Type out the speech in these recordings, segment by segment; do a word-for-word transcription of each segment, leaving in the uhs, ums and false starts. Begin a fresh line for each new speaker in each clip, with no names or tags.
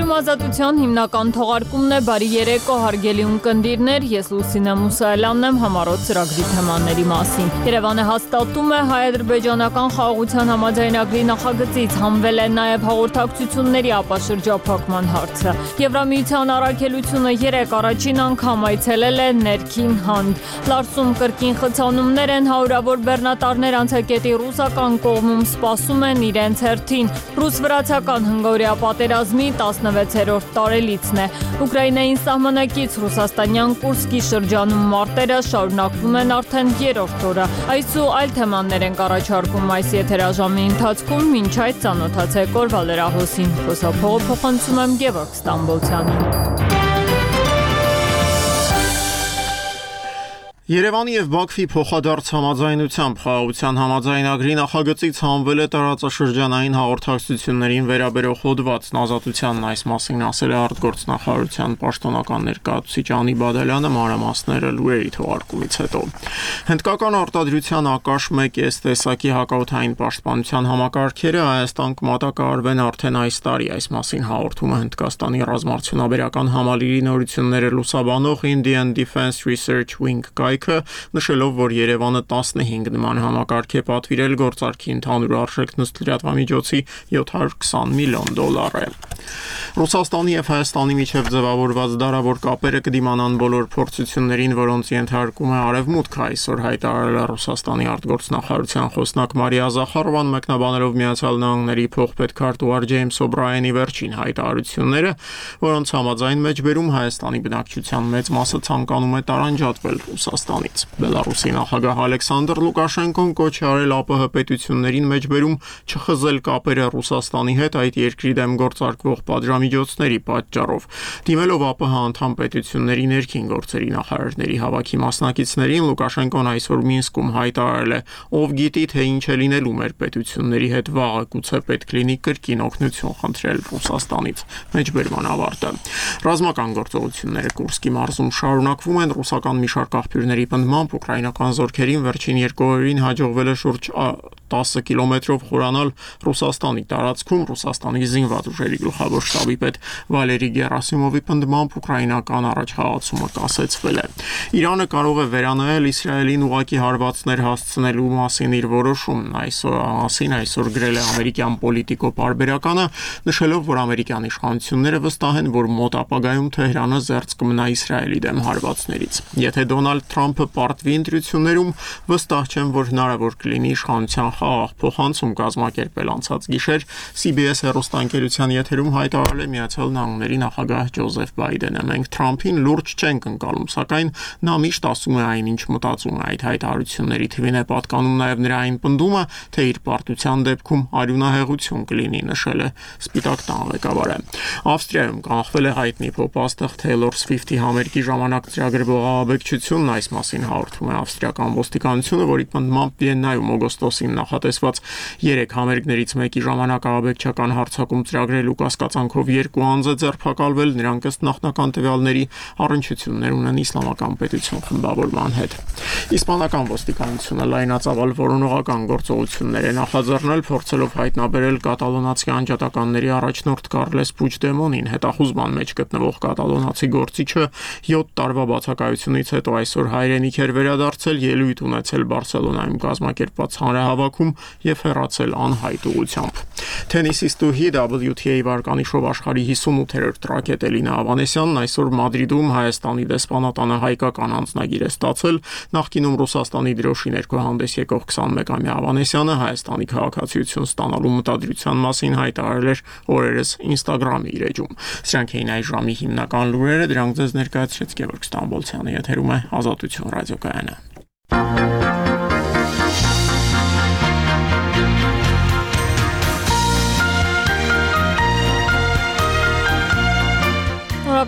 Եթերում ազատության հիմնական թողարկումն է։ Բարի երեկո, հարգելի ունկնդիրներ, ես Լուսինե Մուսայելյանն եմ համառոտ ծրագրի թեմաների մասին։ Երևանը հաստատում է հայ-ադրբեջանական խաղաղության համաձայնագրի նախագծից, հանվել է նաև հաղորդակցությունների ապաշրջափակման հարցը։ Եվրամիության առաքելությունը երեկ առաջին անգամ այցելել է ներքին հանդ։ Լարսում կրկին խցանումներ են, հարյուրավոր բեռնատարներ անցակետի ռուսական կողմում սպասում են իրենց հերթին։ Ռուս-վրացական հնգօրյա պատերազմի տասնվեցերորդ տարելիցն է։ Ուկրաինային սահմանակից ռուսաստանյան Կուրսկի շրջանում մարտերը շարունակվում են արդեն երրորդ օրը։ Այս ու այլ թեմաներ ենք առաջարկում այս եթերաժամի ընթացքում, մինչ այդ ծանոթացեք օրվա լրահոսին։ Խոսափողը փոխանցում եմ Գևորգ Ստամբոլցյանին։
Երևանի և Բաքվի փոխադարձ համաձայնությամբ խաղաղության համաձայնագրի նախագծից հանվել է տարածաշրջանային հաղորդակցություններին վերաբերող հոդվածն։ Ազատությանն այս մասին ասել է արտգործնախարարության պաշտոնական ներկայացուցիչ Անի Բադալյանը մանրամասները լուրերի թողարկումից հետո։ Հնդկական արտադրության ակաշ մեկ էս տեսակի հակաօդային պաշտպանության համակարգերը Հայաստան կմատակարարվեն արդեն այս տարի։ Այս մասին հաղորդում է Հնդկաստանի ռազմարդյունաբերական համալիրի նորությունները լուսաբանող Indian Defense Research Wing նշելով, որ Երևանը տասնհինգ նման համակարգ է պատվիրել, գործարքի ընդհանուր արժեքն ըստ լրատվամիջոցի յոթ հարյուր քսան միլիոն դոլար է։ Ռուսաստանի և Հայաստանի միջև ձևավորված դարավոր կապերը կդիմանան բոլոր փորձություններին, որոնց ենթարկում է Արևմուտքը, այսօր հայտարարել է Ռուսաստանի արտգործնախարարության խոսնակ Մարիա Զախարովան, մեկնաբանելով Միացյալ Նահանգների փոխպետքարտուղար Ջեյմս Օբրայենի վերջին հայտարարությունները, որոնց համաձայն մեջբերում Հայաստանի բնակչության մեծ մասը ցանկանում է տարանջատվել Ռուսաստանից։ Բելարուսի նախագահ Ալեքսանդր Լուկաշենկոն կոչ է արել ԱՊՀ պետություններին մեջբերում չխզել կապերը Ռուսաստանի հետ այդ երկրի դեմ գործարկվող պատժամիջոցների պատճառով։ Դիմելով ԱՊՀ անդամ պետությունների ներքին գործերի նախարարների հավաքի մասնակիցներին, Լուկաշենկոն այսօր Մինսկում հայտարարել է. «Ով գիտի, թե ինչ է լինելու մեր պետությունների հետ վաղը, գուցե պետք լինի կրկին օգնություն խնդրել Ռուսաստանից»։ Մեջբերման ավարտը։ Ռազմական գործողությունները Կուրսկի մարզում շարունակվում են։ Ռուսական մի շարք աղբյուրների պնդմամբ ուկրաինական զորքերին վերջին երկու օրերին հաջողվել է շուրջ տասը կիլոմետրով խորանալ Ռուսաստանի տարածքում։ Ռուսաստանի զինված ուժերի գլխավոր շտաբի պետ Վալերի Գերասիմովի պնդմամբ ուկրաինական առաջխաղացումը կասեցվել է։ Իրանը կարող է վերանայել Իսրայելին ուղղակի հարվածներ հասցնելու մասին իր որոշումն։ Այսօր մասին այսօր գրել է ամերիկյան Պոլիտիկո պարբերականը, նշելով, որ ամերիկյան իշխանությունները վստահ են, որ մոտ ապագայում Թեհրանը զերծ կմնա Իսրայելի դեմ հարվածներից։ Եթե Դոնալդ Թրամփը պարտվի ընտրություններում, վստահ չեմ, որ հնարավոր կլինի իշխանության խաղաղ փոխանցում կազմակերպել։ Անցած գիշեր C B S հեռուստաընկերության եթերում հայտարարել է Միացյալ Նահանգների նախագահ Ջոզեֆ Բայդենը. «Մենք Թրամփին լուրջ չենք ընկալում, սակայն նա միշտ ասում է այն, ինչ մտածում է»։ Այդ հայտարարությունների թվին է պատկանում նաև նրա այն պնդումը, թե իր պարտության դեպքում արյունահեղություն կլինի, նշել է Սպիտակ տան ղեկավարը։ Ավստրիայում կանխվել է հայտնի փոփ-աստղ Taylor Swift-ի համերգի ժամանակ ծրագրվող աղաբեկչությունն։ Այս մասին հաղորդում է ավստրիական ոստիկանությունը, որի պնդմամբ Վիեննայում օգոստոսին նախատեսված երեք համերգներից մեկի ժամանակ աղաբեկչական հարձակում ծրագրելու կասկածանքով երկու անձ է ձերբակալվել։ Նրանք ըստ նախնական տվյալների առնչություններ ունեն Իսլամական պետություն խմբավորման հետ։ Իսպանական ոստիկանությունը լայնածավալ որոնողական գործողություններ է նախաձեռնել, փորձելով հայտնաբերել կատալոնացի անջատականների առաջնորդ Կարլես Պուչդեմոնին։ Հետախուզման մեջ գտնվող կատալոնացի գործիչը յոթ տարվա բացակայությունից հետո այսօր հայրենիք էր վերադարձել, ելույթ ունեցել Բարսելոնայում կազմակերպված հանրահավաքում եւ հեռացել անհայտ ուղղությամբ։ Թենիսիստուհի W T A վարկանիշով աշխարհի հիսունութերորդ ռակետ Էլինա Ավանեսյանն այսօր Մադրիդում Հայաստանի դեսպանատանը հայկական անձնագիր է ստացել։ Նախկինում Ռուսաստանի դրոշի ներքո հանդես եկող քսանմեկամյա Ավանեսյանը Հայաստանի քաղաքացիություն ստանալու մտադրության մասին հայտարարել էր օրերս Instagram-ի իր էջում։ Սրանք էին այս ժամի հիմնական լուրերը, դրանք ձեզ ներկայացրեց Գևորգ Ստամբոլցյանը, եթերում է Ազատություն ռադիոկայանը։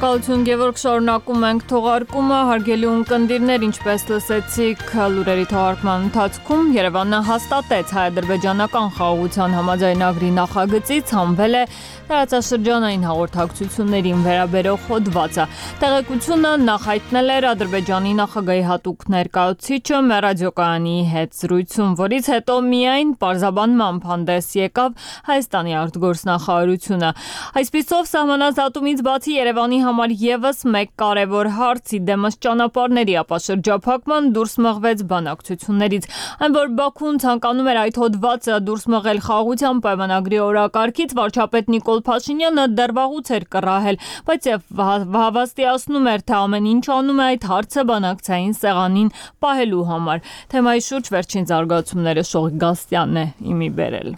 Շնորհակալություն Գևորգ, շարունակում ենք թողարկումը, հարգելի ունկնդիրներ, ինչպես լսեցիք լուրերի թողարկման ընթացքում, Երևանը հաստատեց հայ-ադրբեջանական խաղաղության համաձայնագրի նախագծից հանվել է տարածաշրջանային հաղորդակցություններին վերաբերող հոդվածը։ Տեղեկությունը նախ հայտնել էր Ադրբեջանի նախագահի հատուկ ներկայացուցիչը մեր ռադիոկայանի հետ զրույցում, որից հետո միայն պարզաբանմամբ հանդես եկավ Հայաստանի արտգործնախարարությունը։ Այսպիսով սահմանազատումից բացի Երևանի համար ևս մեկ կարևոր հարց՝ իդեմս ճանապարհների ապաշրջափակման դուրս մղվեց բանակցություններից։ Այն որ Բաքուն ցանկանում էր այդ հոդվածը դուրս մղել խաղաղության պայմանագրի օրակարգից, վարչապետ Նիկոլ Փաշինյանը դեռ վաղուց էր կռահել, բայց եւ հավաստիացնում էր, թե ամեն ինչ անում է այդ հարցը բանակցային սեղանին պահելու համար։ Թեմայի շուրջ վերջին զարգացումները Շողիկ Գասյանն է իմի բերել։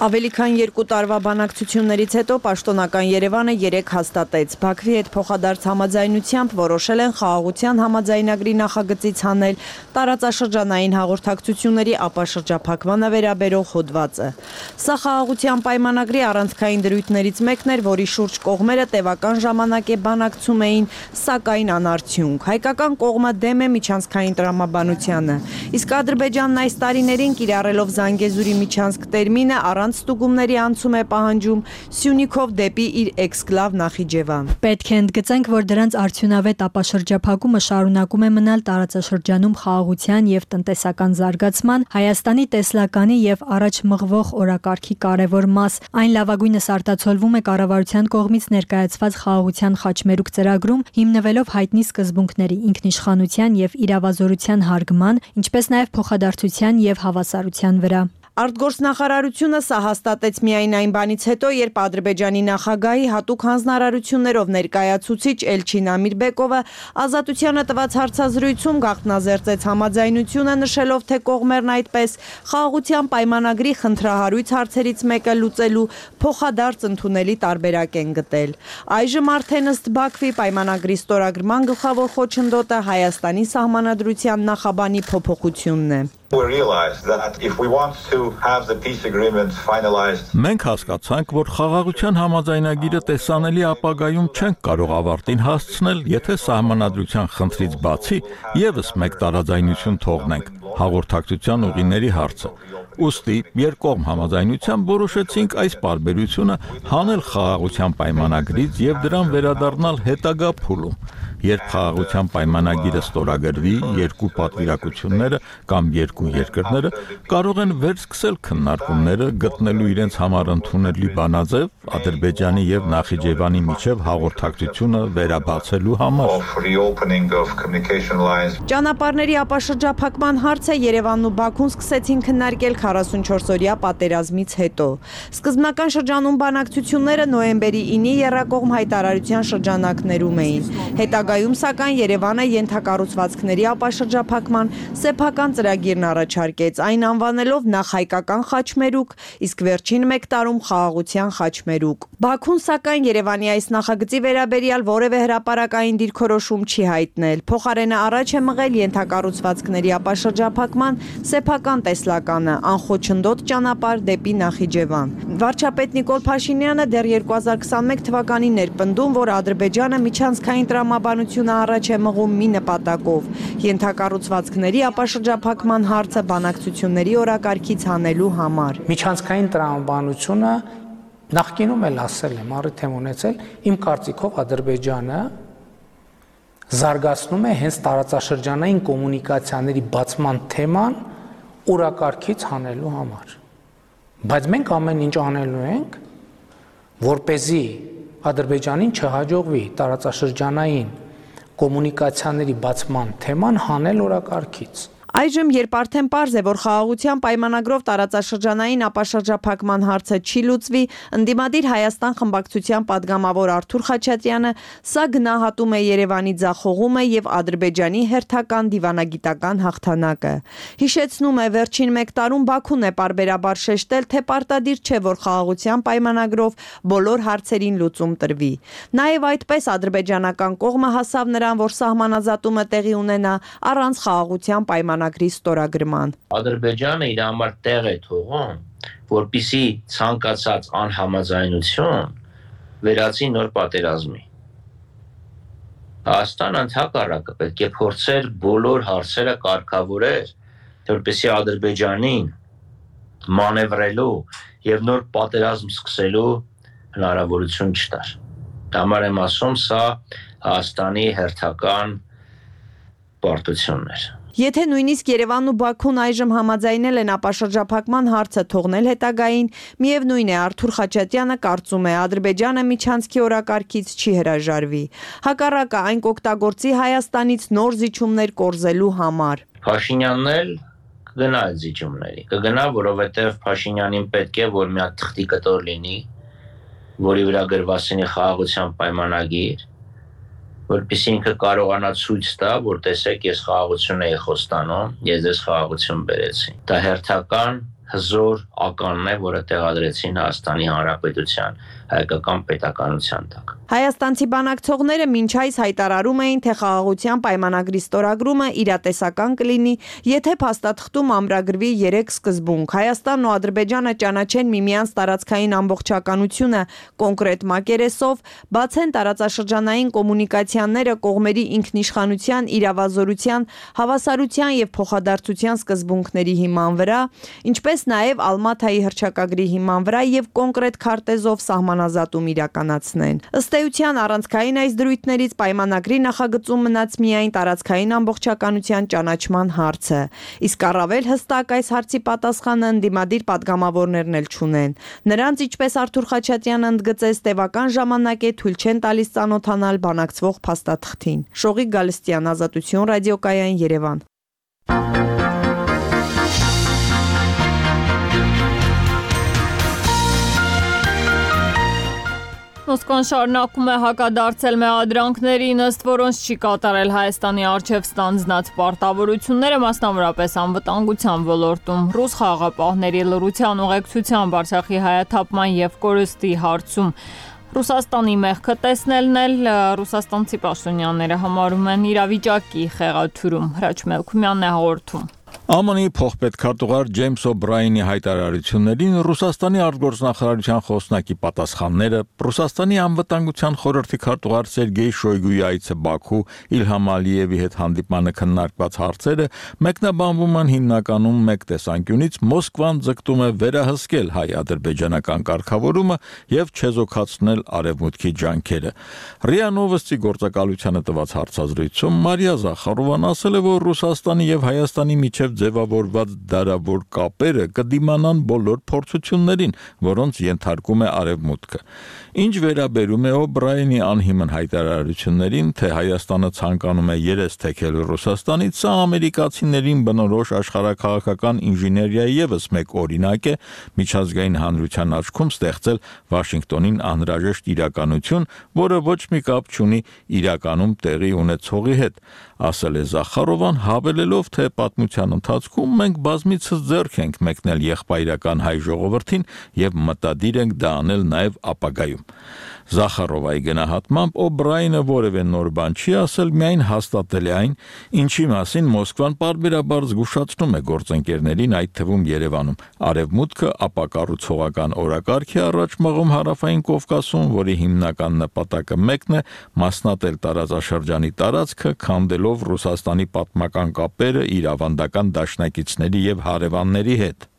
Ավելի քան երկու տարվա բանակցություններից հետո պաշտոնական Երևանը երեկ հաստատեց Բաքվի հետ փոխադարձ համաձայնությամբ որոշել են խաղաղության համաձայնագրի նախագծից հանել տարածաշրջանային հաղորդակցությունների ապաշրջափակմանը վերաբերող հոդվածը։ Սա խաղաղության պայմանագրի առանցքային դրույթներից մեկն էր, որի շուրջ կողմերը տևական ժամանակ է բանակցում էին, սակայն անարդյունք։ Հայկական կողմը դեմ է միջանցքային տրամաբանությանը, իսկ Ադրբեջանն այս տարիներին կիրառելով Զանգեզուրի միջանցք տերմինը առանց ստուգումների անցում է պահանջում Սյունիքով դեպի իր էքսկլավ Նախիջևան։
Պետք է ընդգծենք, որ դրանց արդյունավետ ապաշրջափակումը շարունակում է մնալ տարածաշրջանում խաղաղության եւ տնտեսական զարգացման, Հայաստանի տեսլականի եւ առաջ մղվող օրակարգի կարևոր մաս։ Այն լավագույնս արտացոլվում է կառավարության կողմից ներկայացված խաղաղության խաչմերուկ ծրագրում, հիմնվելով հայտնի սկզբունքների՝ ինքնիշխանության եւ իրավազորության հարգման, ինչպես նաեւ փոխադարձության եւ հավասարության վրա։
Արտգործնախարարությունը սա հաստատեց միայն այն բանից հետո, երբ Ադրբեջանի նախագահի հատուկ հանձնարարություններով ներկայացուցիչ Էլչին Ամիրբեկովը Ազատությանը տված հարցազրույցում գաղտնազերծեց համաձայնությունը, նշելով, թե կողմերն այդպես խաղաղության պայմանագրի խնդրահարույց հարցերից մեկը լուծելու փոխադարձ ընդունելի տարբերակ են գտել։ Այժմ արդեն ըստ Բաքվի պայմանագրի ստորագրման գլխավոր խոչընդոտը Հայաստանի սահմանադրության նախաբանի փոփոխությունն է։
Մենք հասկացանք, որ խաղաղության համաձայնագիրը տեսանելի ապագայում չենք կարող ավարտին հասցնել, եթե սահմանադրության խնդրից բացի ևս մեկ տարաձայնություն թողնենք՝ հաղորդակցության ուղիների հարցը։ Ուստի երկկողմ համաձայնությամբ որոշեցինք այս պարբերությունը հանել խաղաղության պայմանագրից եւ դրան վերադառնալ հետագա փուլում, երբ խաղաղության պայմանագիրը ստորագրվի, երկու պատվիրակությունները կամ երկու երկրները կարող են վերսկսել քննարկումները, գտնելու իրենց համար ընդունելի բանաձև Ադրբեջանի եւ Նախիջևանի միջև հաղորդակցությունը վերաբացելու համար։
Ճանապարհների ապաշրջափակման հարցը Երևանն ու Բաքուն սկսեցին քննարկել քառասունչորսօրյա պատերազմից հետո։ Սկզբնական շրջանում բանակցությունները նոյեմբերի ինի եռակողմ հայտարարության շրջանակներում էին։ Հետագայում սակայն Երևանը ենթակառուցվածքների ապաշրջափակման սեփական ծրագիրն առաջարկեց, այն անվանելով նախ հայկական խաչմերուկ, իսկ վերջին մեկ տարում խաղաղության խաչմերուկ։ Բաքուն սակայն Երևանի այս նախագծի վերաբերյալ որևէ հրապարակային դիրքորոշում չի հայտնել։ Փոխարենը առաջ է մղել ենթակառուցվածքների ապաշրջափակման սեփական տեսլականը, անխոչնդոտ ճանապարհ դեպի Նախիջևան։ Վարչապետ Նիկոլ Փաշինյանը դեռ երկու հազար քսանմեկ թվականին ներպնդում, որ Ադրբեջանը միջանցքային տրամաբանությունը առաջ է մղում մի նպատակով՝ ենթակառուցվածքների ապաշրջափակման հարցը բանակցությունների օրակարգից հանելու համար։
Միջանցքային տրամաբանությունը նախկինում էլ ասել եմ, առիթ եմ ունեցել, իմ կարծիքով Ադրբեջանը զարգացնում է հենց տարածաշրջանային կոմունիկացիաների բացման թեման օրակարգից հանելու համար։ Բայց մենք ամեն ինչ անելու ենք, որպեսզի Ադրբեջանին չհաջողվի տարածաշրջանային կոմունիկացիաների բացման թեման հանել օրակարգից։
Այժմ, երբ արդեն պարզ է, որ խաղաղության պայմանագրով տարածաշրջանային ապաշրջափակման հարցը չի լուծվի, ընդդիմադիր Հայաստան խմբակցության падգամավոր Արթուր Խաչատրյանը սա գնահատում է Երևանի ձախողումը եւ Ադրբեջանի հերթական դիվանագիտական հաղթանակը։ Հիշեցնում է, վերջին մեկ տարում Բաքուն է պարբերաբար շեշտել, թե պարտադիր չէ, որ խաղաղության պայմանագրով բոլոր հարցերին լուծում տրվի։ Նաեւ այդպես ադրբեջանական կողմը հասավ նրան, որ սահմանազատումը տեղի ունենա առանց խաղաղության պայմանագրի ստորագրման։
Ադրբեջանը իր համար տեղ է թողում, որպիսի ցանկացած անհամաձայնություն վերածի նոր պատերազմի։ Հայաստանը ընդհակառակը պետք է փորձեր բոլոր հարցերը կարգավորել, որպեսզի Ադրբեջանին մանևրելու եւ նոր պատերազմ սկսելու հնարավորություն չտար։ Համար եմ ասում, սա Հայաստանի հերթական պարտությունն էր։
Եթե նույնիսկ Երևանն ու Բաքուն այժմ համաձայնել են ապաշրջափակման հարցը թողնել հետագային, միևնույն է Արթուր Խաչատյանը կարծում է Ադրբեջանը միջանցքի օրակարգից չի հրաժարվի։ Հակառակը այն կօգտագործի Հայաստանից նոր զիջումներ կորզելու համար։
Փաշինյանն էլ կգնա այդ զիջումների։ Կգնա, որովհետև Փաշինյանին պետք է որ մի հատ թղթի կտոր լինի, որի վրա գրված լինի խաղաղության պայմանագիր, որպեսզի ինքը կարողանա ցույց տա, որ տեսեք, ես խաղաղություն էի խոստանում, ես ձեզ խաղաղություն բերեցի։ Դա հերթական հզոր ականն է, որը տեղադրեցին Հայաստանի Հանրապետության հայկական պետականության տակ։
Հայաստանցի բանակցողները մինչ այս հայտարարում էին, թե խաղաղության պայմանագրի ստորագրումը իրատեսական կլինի, եթե փաստաթղթում ամրագրվի երեք սկզբունք։ Հայաստանն ու Ադրբեջանը ճանաչեն միմյանց տարածքային ամբողջականությունը կոնկրետ մակերեսով, բացեն տարածաշրջանային կոմունիկացիաները կողմերի ինքնիշխանության, իրավազորության, հավասարության եւ փոխադարձության սկզբունքների հիման վրա, ինչպես նաեւ Ալմաթայի հռչակագրի հիման վրա եւ կոնկրետ քարտեզով սահմանազատում իրականացնեն։ Ըստ էության առանցքային այս դրույթներից պայմանագրի նախագծում մնաց միայն տարածքային ամբողջականության ճանաչման հարցը, իսկ առավել հստակ այս հարցի պատասխանը ընդդիմադիր պատգամավորներն էլ չունեն։ Նրանց, ինչպես Արթուր Խաչատյանը ընդգծեց, տևական ժամանակ է թույլ չեն տալիս ծանոթանալ բանակցվող փաստաթղթին։ Շողիկ Գալստյան, Ազատություն, ռադիոկայան, Երևան։
Մոսկվան շարունակում է հակադարձել մեղադրանքներին, ըստ որոնց չի կատարել Հայաստանի առջև ստանձնած պարտավորությունները, մասնավորապես անվտանգության ոլորտում։ Ռուս խաղաղապահների լռության ուղեկցությամբ Արցախի հայաթափման եւ կորստի հարցում Ռուսաստանի մեղքը տեսնելն էլ ռուսաստանցի պաշտոնյաները համարում են իրավիճակի խեղաթյուրում։ Հրաչ Մելքումյանն է հաղորդում։
ԱՄՆ-ի փոխպետքարտուղար Ջեյմս Օբրայենի հայտարարություններին Ռուսաստանի արտգործնախարարության խոսնակի պատասխանները, Ռուսաստանի անվտանգության խորհրդի քարտուղար Սերգեյ Շոյգուի այցը Բաքու, Իլհամ Ալիևի հետ հանդիպմանը քննարկված հարցերը մեկնաբանվում են հիմնականում մեկ տեսանկյունից Մոսկվան ձգտում է վերահսկել հայ-ադրբեջանական կարգավորումը եւ չեզոքացնել արևմուտքի ջանքերը։ ՌԻԱ Նովոստի գործակալությանը տված հարցազրույցում Մարիա Զախարովան ասել է, որ Ռուսաստանի եւ Հայաստանի միջև ձևավորված դարավոր կապերը կդիմանան բոլոր փորձություններին, որոնց ենթարկում է արևմուտքը։ Ինչ վերաբերում է Օբրայենի անհիմն հայտարարություններին, թե Հայաստանը ցանկանում է երես թեքել Ռուսաստանից, սա ամերիկացիներին բնորոշ աշխարհաքաղաքական ինժեներիայի ևս մեկ օրինակ է միջազգային հանրության աչքում ստեղծել Վաշինգտոնին անհրաժեշտ իրականություն, որը ոչ մի կապ չունի իրականում տեղի ունեցողի հետ, ասել է Զախարովան, հավելելով, թե պատմության ընթացքում մենք բազմիցս ձեռք ենք մեկնել եղբայրական հայ ժողովրդին եւ մտադիր ենք դա անել նաեւ ապագայում։ Զախարովայի գնահատմամբ Օբրայենը որևէ նոր բան չի ասել, միայն հաստատել է այն, ինչի մասին Մոսկվան պարբերաբար զգուշացնում է գործընկերներին, այդ թվում Երևանում։ Արևմուտքը ապակառուցողական օրակարգ է առաջ մղում Հարավային Կովկասում, որի հիմնական նպատակը մեկն է՝ մասնատել տարածաշրջանի տարածքը, քանդելով Ռուսաստանի պատմական կապերը իր ավանդական դաշնակիցների եւ հարևանների հետ։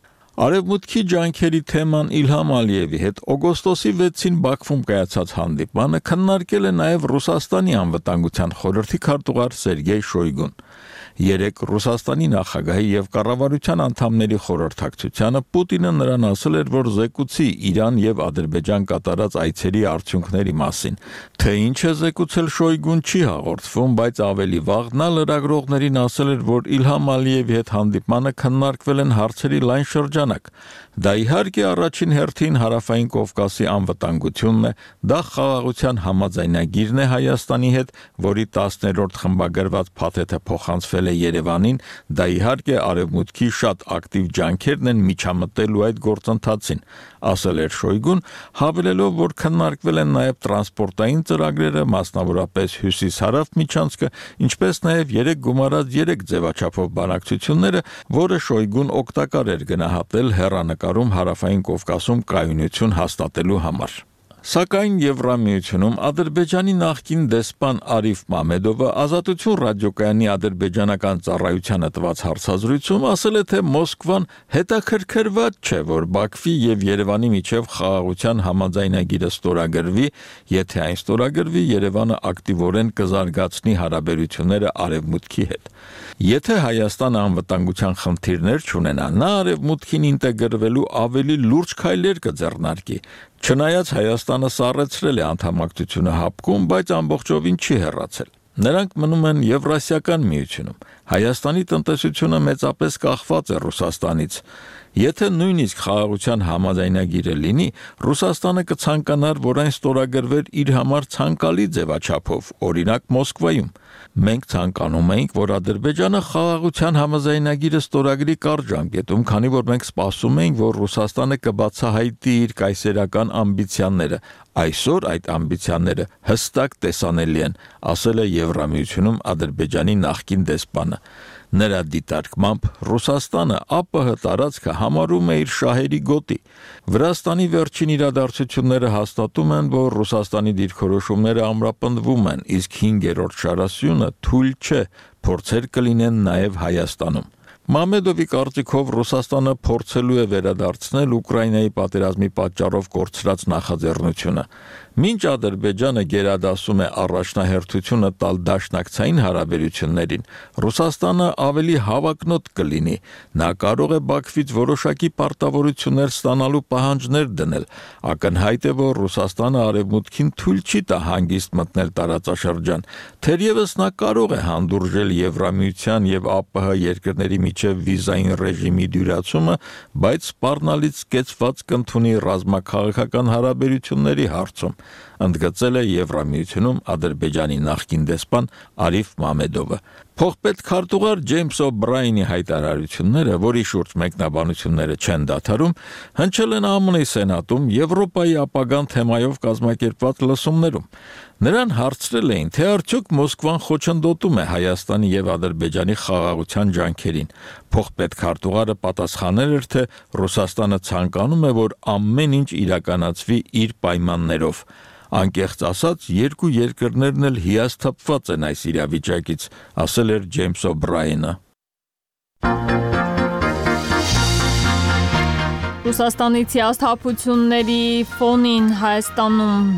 Արևմուտքի ջանքերի թեման Իլհամ Ալիևի հետ օգոստոսի վեցին Բաքվում կայացած հանդիպմանը քննարկել է նաև Ռուսաստանի անվտանգության խորհրդի քարտուղար Սերգեյ Շոյգուն։ Երեք Ռուսաստանի նախագահի եւ կառավարության անդամների խորհրդակցությանը Պուտինը նրան ասել էր, որ զեկուցի Իրան եւ Ադրբեջան կատարած այցերի արդյունքների մասին։ Թե ինչ է զեկուցել Շոյգուն չի հաղորդվում, բայց ավելի վաղ նա լրագրողներին ասել էր, որ Իլհամ Ալիևի հետ հանդիպմանը քննարկվել են հարցերի լայն շրջանակ։ Դա իհարկե առաջին հերթին Հարավային Կովկասի անվտանգությունն է, դա խաղաղության համաձայնագիրն է Հայաստանի հետ, որի տասներորդ խմբագրված փաթեթը փոխանցվել է Երևանին, դա իհարկե արևմուտքի շատ ակտիվ ջանքերն են միջամտելու այդ գործընթացին, ասել էր Շոյգուն, հավելելով, որ քննարկվել են նաև տրանսպորտային ծրագրերը, մասնավորապես հյուսիս-հարավ միջանցքը, ինչպես նաև երեք գումարած երեք ձևաչափով բանակցությունները, որը Շոյգուն օգտակար էր գնահատել հեռանկարում Հարավային Կովկասում կայունություն հաստատելու համար։ Սակայն Եվրամիությունում Ադրբեջանի նախկին դեսպան Արիֆ Մամեդովը Ազատություն ռադիոկայանի ադրբեջանական ծառայությանը տված հարցազրույցում ասել է, թե Մոսկվան հետաքրքրված չէ, որ Բաքվի եւ Երևանի միջև խաղաղության համաձայնագիրը ստորագրվի, եթե այն ստորագրվի, Երևանը ակտիվորեն կզարգացնի հարաբերությունները Արևմուտքի հետ։ Եթե Հայաստանը անվտանգության խնդիրներ չունենա, նա Արևմուտքին ինտեգրվելու ավելի լուրջ քայլեր կձեռնարկի։ Չնայած Հայաստանը սառեցրել է անդամակցությունը հապկում, բայց ամբողջովին չի հեռացել։ Նրանք մնում են Եվրասիական միությունում։ Հայաստանի տնտեսությունը մեծապես կախված է Ռուսաստանից։ Եթե նույնիսկ խաղաղության համաձայնագիրը լինի, Ռուսաստանը կցանկանար, որ այն ստորագրվեր իր համար ցանկալի ձևաչափով, օրինակ Մոսկվայում։ Մենք ցանկանում էինք, որ Ադրբեջանը խաղաղության համաձայնագիրը ստորագրի կարճ ժամկետում, քանի որ մենք սպասում էինք, որ Ռուսաստանը կբացահայտի իր կայսերական ամբիցիաները։ Այսօր այդ ամբիցիաները հստակ տեսանելի են, ասել է Եվրամիությունում Ադրբեջանի նախկին դեսպանը։ Նրա դիտարկմամբ Ռուսաստանը ԱՊՀ տարածքը համարում է իր շահերի գոտի։ Վրաստանի վերջին իրադարձությունները հաստատում են, որ Ռուսաստանի դիրքորոշումները ամրապնդվում են, իսկ հինգերորդ շարասյունը թույլ չէ, փորձեր կլինեն նաև Հայաստանում։ Մամեդովի կարծիքով Ռուսաստանը փորձելու է վերադարձնել Ուկրաինայի պատերազմի պատճառով կորցրած նախաձեռնությունը։ Մինչ Ադրբեջանը գերադասում է առաջնահերթությունը տալ դաշնակցային հարաբերություններին, Ռուսաստանը ավելի հավակնոտ կլինի։ Նա կարող է Բաքվից որոշակի պարտավորություններ ստանալու պահանջներ դնել։ Ակնհայտ է, որ Ռուսաստանը Արևմուտքին թույլ չի տա հանգիստ մտնել տարածաշրջան։ Թերևս նա կարող է հանդուրժել Եվրամիության եւ ԱՊՀ երկրների միջև վիզային ռեժիմի դյուրացումը, բայց սպառնալից կեցված կընդունի ռազմաքաղաքական հարաբերությունների հարցում, ընդգծել է Եվրամիությունում Ադրբեջանի նախկին դեսպան Արիֆ Մամեդովը։ Փոխպետ քարտուղար Ջեյմս Օ'Բրայենի հայտարարությունները, որի շուրջ մեկնաբանությունները չեն դադարում, հնչել են ԱՄՆ-ի Սենատում Եվրոպայի ապագան թեմայով կազմակերպված լսումներում։ Նրան հարցրել էին, թե արդյոք Մոսկվան խոչընդոտում է Հայաստանի եւ Ադրբեջանի խաղաղության ջանքերին։ Փոխպետ քարտուղարը պատասխանել էր, թե Ռուսաստանը ցանկանում է, որ ամեն ինչ իրականացվի իր պայմաններով։ Անկեղծ ասած, երկու երկրներն էլ հիասթափված են այս իրավիճակից, ասել էր Ջեյմս Օ'Բրայենը։
Ռուսաստանից հիասթափությունների ֆոնին Հայաստանում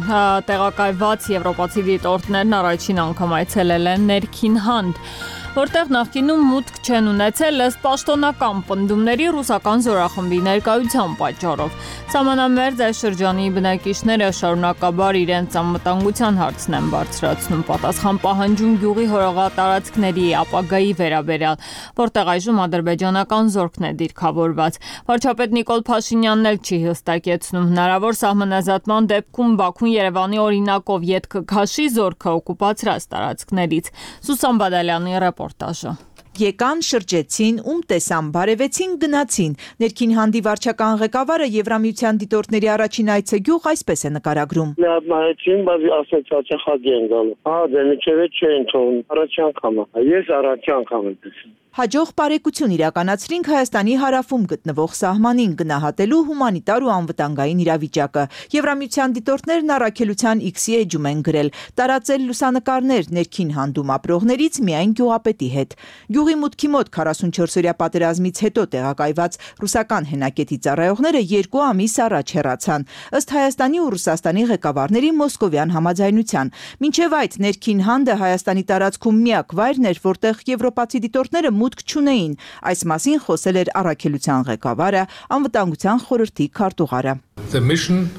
տեղակայված եվրոպացի դիտորդներն առաջին անգամ այցելել են Ներքին Հանդ, որտեղ նախկինում մուտք չեն ունեցել ըստ պաշտոնական պնդումների ռուսական զորախմբի ներկայության պատճառով։ Սահմանամերձ այս շրջանի բնակիչները շարունակաբար իրենց անվտանգության հարցն են բարձրացնում, պատասխան պահանջում գյուղի հորողատարածքների ապագայի վերաբերյալ, որտեղ այժմ ադրբեջանական զորքն է դիրքավորված։ Վարչապետ Նիկոլ Փաշինյանն էլ չի հստակեցնում հնարավոր սահմանազատման դեպքում Բաքուն Երևանի օրինակով ետք կքաշի զորքը օկուպացրած տարածքներից։ Սուսան Բադալյանի ռեպորտաժը։
Եկան, շրջեցին, ում տեսան, բարևեցին, գնացին։ Ներքին Հանդի վարչական ղեկավարը Եվրամիության դիտորդների առաջին այցը գյուղ այսպես է նկարագրում։
Նայեցին, բայց ասեց հաճախակի են գալու։ Ահա դե միջև չեն թողնում։ Առաջի անգամ է։ Ես առաջի անգամ եմ տեսել։
Հաջող բարեկություն իրականացրինք Հայաստանի հարավում գտնվող սահմանին գնահատելու հումանիտար ու անվտանգային իրավիճակը։ Եվրամիության դիտորդներն առաքելության X-ի էջում են գրել, տարածել լուսանկարներ Ներքին Հանդում ապրողներից միայն գյուղապետի հետ։ Գյուղի մուտքի մոտ քառասունչորսօրյա պատերազմից հետո տեղակայված ռուսական հենակետի ծառայողները երկու ամիս առաջ հեռացան, ըստ Հայաստանի ու Ռուսաստանի ղեկավարների մոսկովյան համաձայնության։ Մինչև այդ Ներքին Հանդը Հայաստանի տարածքում միակ վայրն էր, որտեղ եվրոպացի դիտորդները մուտք չունեին։ Այս մասին խոսել էր առաքելության ղեկավարը, անվտանգության խորհրդի քարտուղարը։
The mission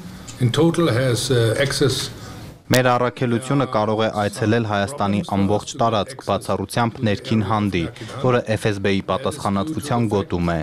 in total has uh, access
Մեր առաքելությունը կարող է այցելել Հայաստանի ամբողջ տարածք, բացառությամբ Ներքին Հանդի, որը Էֆ Էս Բի-ի պատասխանատվության գոտում է։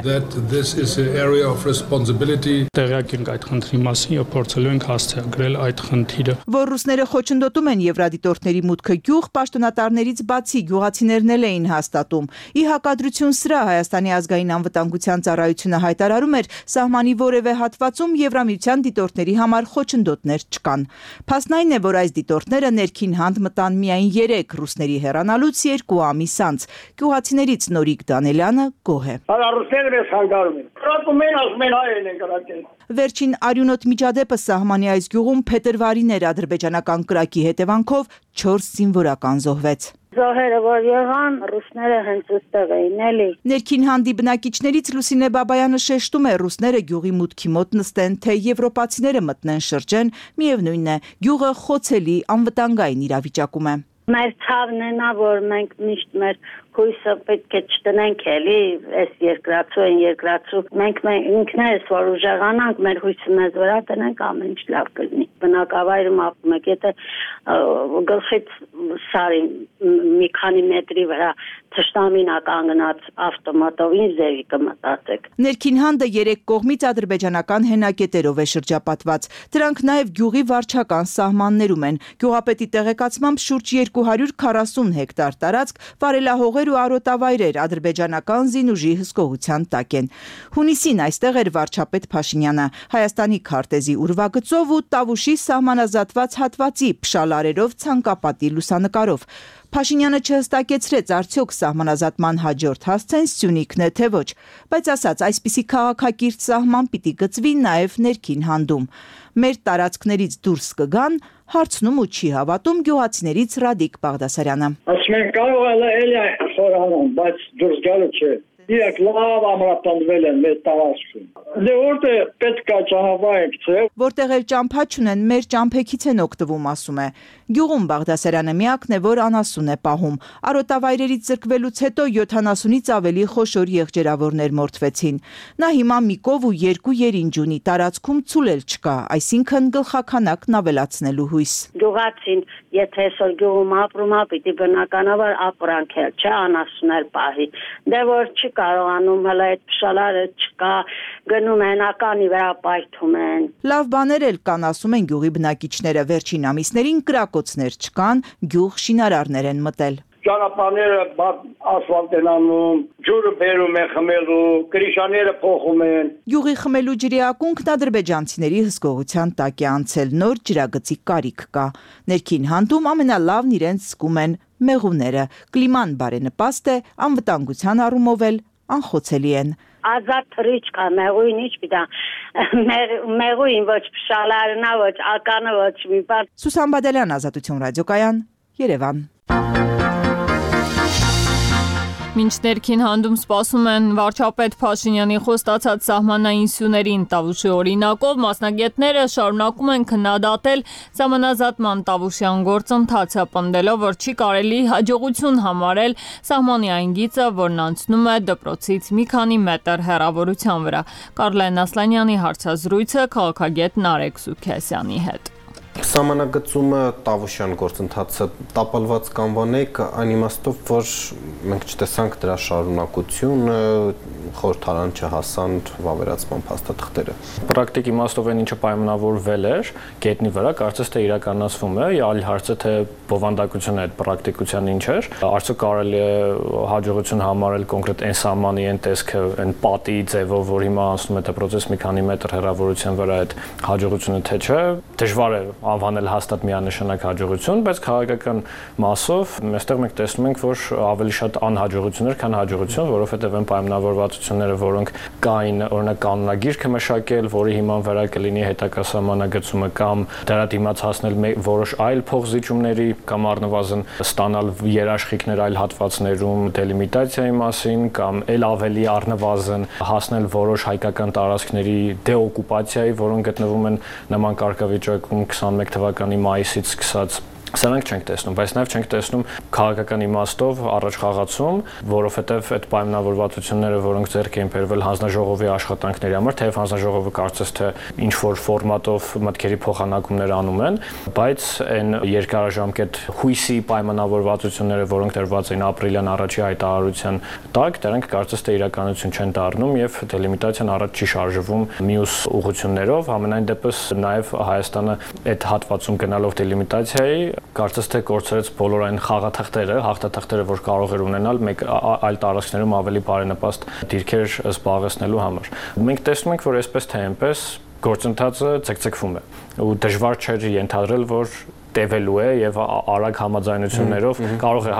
Տեղյակ ենք այդ խնդրի մասին եւ փորձելու ենք հասցեագրել այդ խնդիրը։
Որ ռուսները խոչընդոտում են եվրադիտորդների մուտքը գյուղ, պաշտոնատարներից բացի գյուղացիներն էլ էին հաստատում։ Ի հակադրություն սրա Հայաստանի ազգային անվտանգության ծառայությունը հայտարարում էր, սահմանի որևէ հատվածում Եվրամիության դիտորդների համար խոչընդոտներ չկան։ Փաստն այն է, որ
որ այս դիտորդները ներքին հանդ մտան միայն երեք, ռուսների հեռանալուց երկու ամիս անց։ Գյուղացիներից Նորիկ Դանելյանը գոհ է։
Ռուսները մեզ խանգարում են։ Ռոպում են, ասում են հայերն են կրակել։
Վերջին արյունոտ միջադեպը սահմանի այս գյուղում փետրվարին էր ադրբեջանական կրակի հետևանքով չորս զինվորական զոհվեց։
Զոհերը որ եղան, ռուսները հենց ուստեղ էին, էլի։
Ներքին հանդի բնակիչներից Լուսինե Բաբայանը շեշտում է, ռուսները գյուղի մուտքի մոտ նստեն, թե եվրոպացիները մտնեն շրջեն, միևնույնն է, գյուղը խոցելի անվտանգային իրավիճակում է։
Մեր ցավն է նա, որ մենք միշտ մեր հույսը պետք է չտնենք էլի, այս երկրացու են երկրացու, մենք ինքներս որ ուժեղանանք, մեր հույսը մեզ վրա տնենք, ամեն ինչ լավ կլինի։ Բնակավայրում ապրում եք, եթե գլխից սարի մի քանի մետրի վրա թշնամին կանգնած ավտոմատով ինչ ձևի կմտածեք։
Ներքին հանդը երեք կողմից ադրբեջանական հենակետերով է շրջապատված։ Դրանք նաև գյուղի վարչական սահմաններում են։ Գյուղապետի տեղեկացմամբ շուրջ երկու հարյուր քառասուն հեկտար տարածք վարելահող ու արոտավայրեր ադրբեջանական զինուժի հսկողության տակ են։ Հունիսին այստեղ էր վարչապետ Փաշինյանը Հայաստանի քարտեզի ուրվագծով ու Տավուշի սահմանազատված հատվածի փշալարերով ցանկապատի լուսանկարով։ Փաշինյանը չհստակեցրեց արդյոք սահմանազատման հաջորդ հասցեն Սյունիքն է թե ոչ, բայց ասաց այսպիսի քաղաքակիրթ սահման պիտի գծվի նաև ներքին հանդում։ Մեր տարածքներից դուրս կգան, հարցնում ու չի հավատում գյուղացիներից Ռադիկ Բաղդասարյանը։
Ասում են կարող է էլի խորանան, բայց դուրս գալու չէ։ Իրաք լավ ամրապնդվել են մեր տարածքում։ Դե որտե պետք է ճանապարհ գցե։
Որտեղ էլ ճամփա չունեն, մեր ճամփեքից են օգտվում, ասում է։ Գյուղում Բաղդասարյանը միակն է, որ անասուն է պահում։ Արոտավայրերից զրկվելուց հետո յոթանասունից ավելի խոշոր եղջերավորներ մորթվեցին։ Նա հիմա մի կով ու երկու երինջ ունի, տարածքում ցուլել չկա, այսինքն գլխականակն ավելացնելու հույս։
Գյուղացին, եթե այսօր գյուղում ապրում է, պիտի բնականաբար ապրանքել, չէ, անասուներ պահի։ Դե որ չի կարողանում հələ այդ փշալարը չկա, գնում են ականի վրա պայթում են։
Լավ բաներ էլ կան, ասում են գյուղի բնակիչները, վերջին ամիսներին կրակոցներ չկան, գյուղ շինարարներ են մտել։
Ճանապարհները ասֆալտ են անում, ջուրը բերում են խմելու, կրիշաները փոխում են։
Գյուղի խմելու ջրի ակունքն ադրբեջանցիների հսկողության տակ է անցել, նոր ջրագծի կարիք կա։ Ներքին հանդում ամենալավն իրենց զգում են մեղուները, կլիման բարենպաստ է, անվտանգության առումով էլ անխոցելի են։
Ազատ թռիչք է, մեղույն ինչ պիտա, մեղույն ոչ փշալարն է, ոչ ականը, ոչ մի բան։
Սուսան Բադալյան, Ազատություն ռադիոկայան, Երևան։
Մինչ ներքին հանդում սպասում են վարչապետ Փաշինյանի խոստացած սահմանային սյուներին Տավուշի օրինակով, մասնագետները շարունակում են քննադատել սահմանազատման տավուշյան գործընթացը, պնդելով, որ չի կարելի հաջողություն համարել սահմանի այն գիծը, որն անցնում է դպրոցից մի քանի մետր հեռավորության վրա։ Կարլեն Ասլանյանի հարցազրույցը քաղաքագետ Նարեկ Սուքեսյանի հետ։
Սահմանագծումը տավուշյան գործընթացը տապալված կանվանեք այն իմաստով, որ մենք չտեսանք դրա շարունակությունը, խորհրդարան չհասան վավերացման փաստաթղթերը։
Պրակտիկ իմաստով այն ինչը պայմանավորվել էր գետնի վրա, կարծես թե իրականացվում է, այլ հարցը թե բովանդակությունը այդ պրակտիկության ինչ էր, արդյոք կարելի է հաջողություն համարել կոնկրետ այն սահմանի այն տեսքը, այն պատի ձևով, որ հիմա անցնում է դպրոցից մի քանի մետր հեռավորության վրա այդ հաջողությունը թե չէ, դժվար է անվանել հաստատ միանշանակ հաջողություն, բայց քաղաքական մասով այստեղ մենք տեսնում ենք, որ ավելի շատ անհաջողություններ, քան հաջողություն, որովհետև այն պայմանավորվածությունները, որոնք կային, օրինակ կանոնագիրքը մշակել, որի հիման վրա կլինի հետագա սահմանագծումը կամ դրա դիմաց հասնել որոշ այլ փոխզիջումների կամ առնվազն ստանալ երաշխիքներ այլ հատվածներում դելիմիտացիայի մասին կամ ել ավելի առնվազն հասնել որոշ հայկական տարածքների դեօկուպացիայի, որոնք գտնվում են նման կարգավիճակում քսանմեկ թվականի մայիսից սկսած Սրանք չենք տեսնում, բայց նաև չենք տեսնում քաղաքական իմաստով առաջ խաղացում, որովհետև այդ պայմանավորվածությունները, որոնք ձեռք էին բերվել հանձնաժողովի աշխատանքների համար, թեև հանձնաժողովը կարծես թե ինչ որ ֆորմատով մտքերի փոխանակումներ անում են, բայց այն երկարաժամկետ հույսի պայմանավորվածությունները, որոնք դրված էին ապրիլյան առաջի հայտարարության տակ, դրանք կարծես թե իրականություն չեն դառնում եւ դելիմիտացիան առաջ չի շարժվում մյուս ուղղություններով, ամենայն դեպս նաև Հայաստանը այդ հատվածում գնալով դելիմիտացիայի կարծես թե կորցրեց բոլոր այն խաղաթղթերը, հաղթաթղթերը, որ կարող էր ունենալ մեկ այլ տարածքներում ավելի բարենպաստ դիրքեր զբաղեցնելու համար։ Մենք տեսնում ենք, որ այսպես թե այնպես գործընթացը ցկցկվում է ու դժվար չէր ենթադրել, որ տևելու է եւ արագ համաձայնություններով կարող է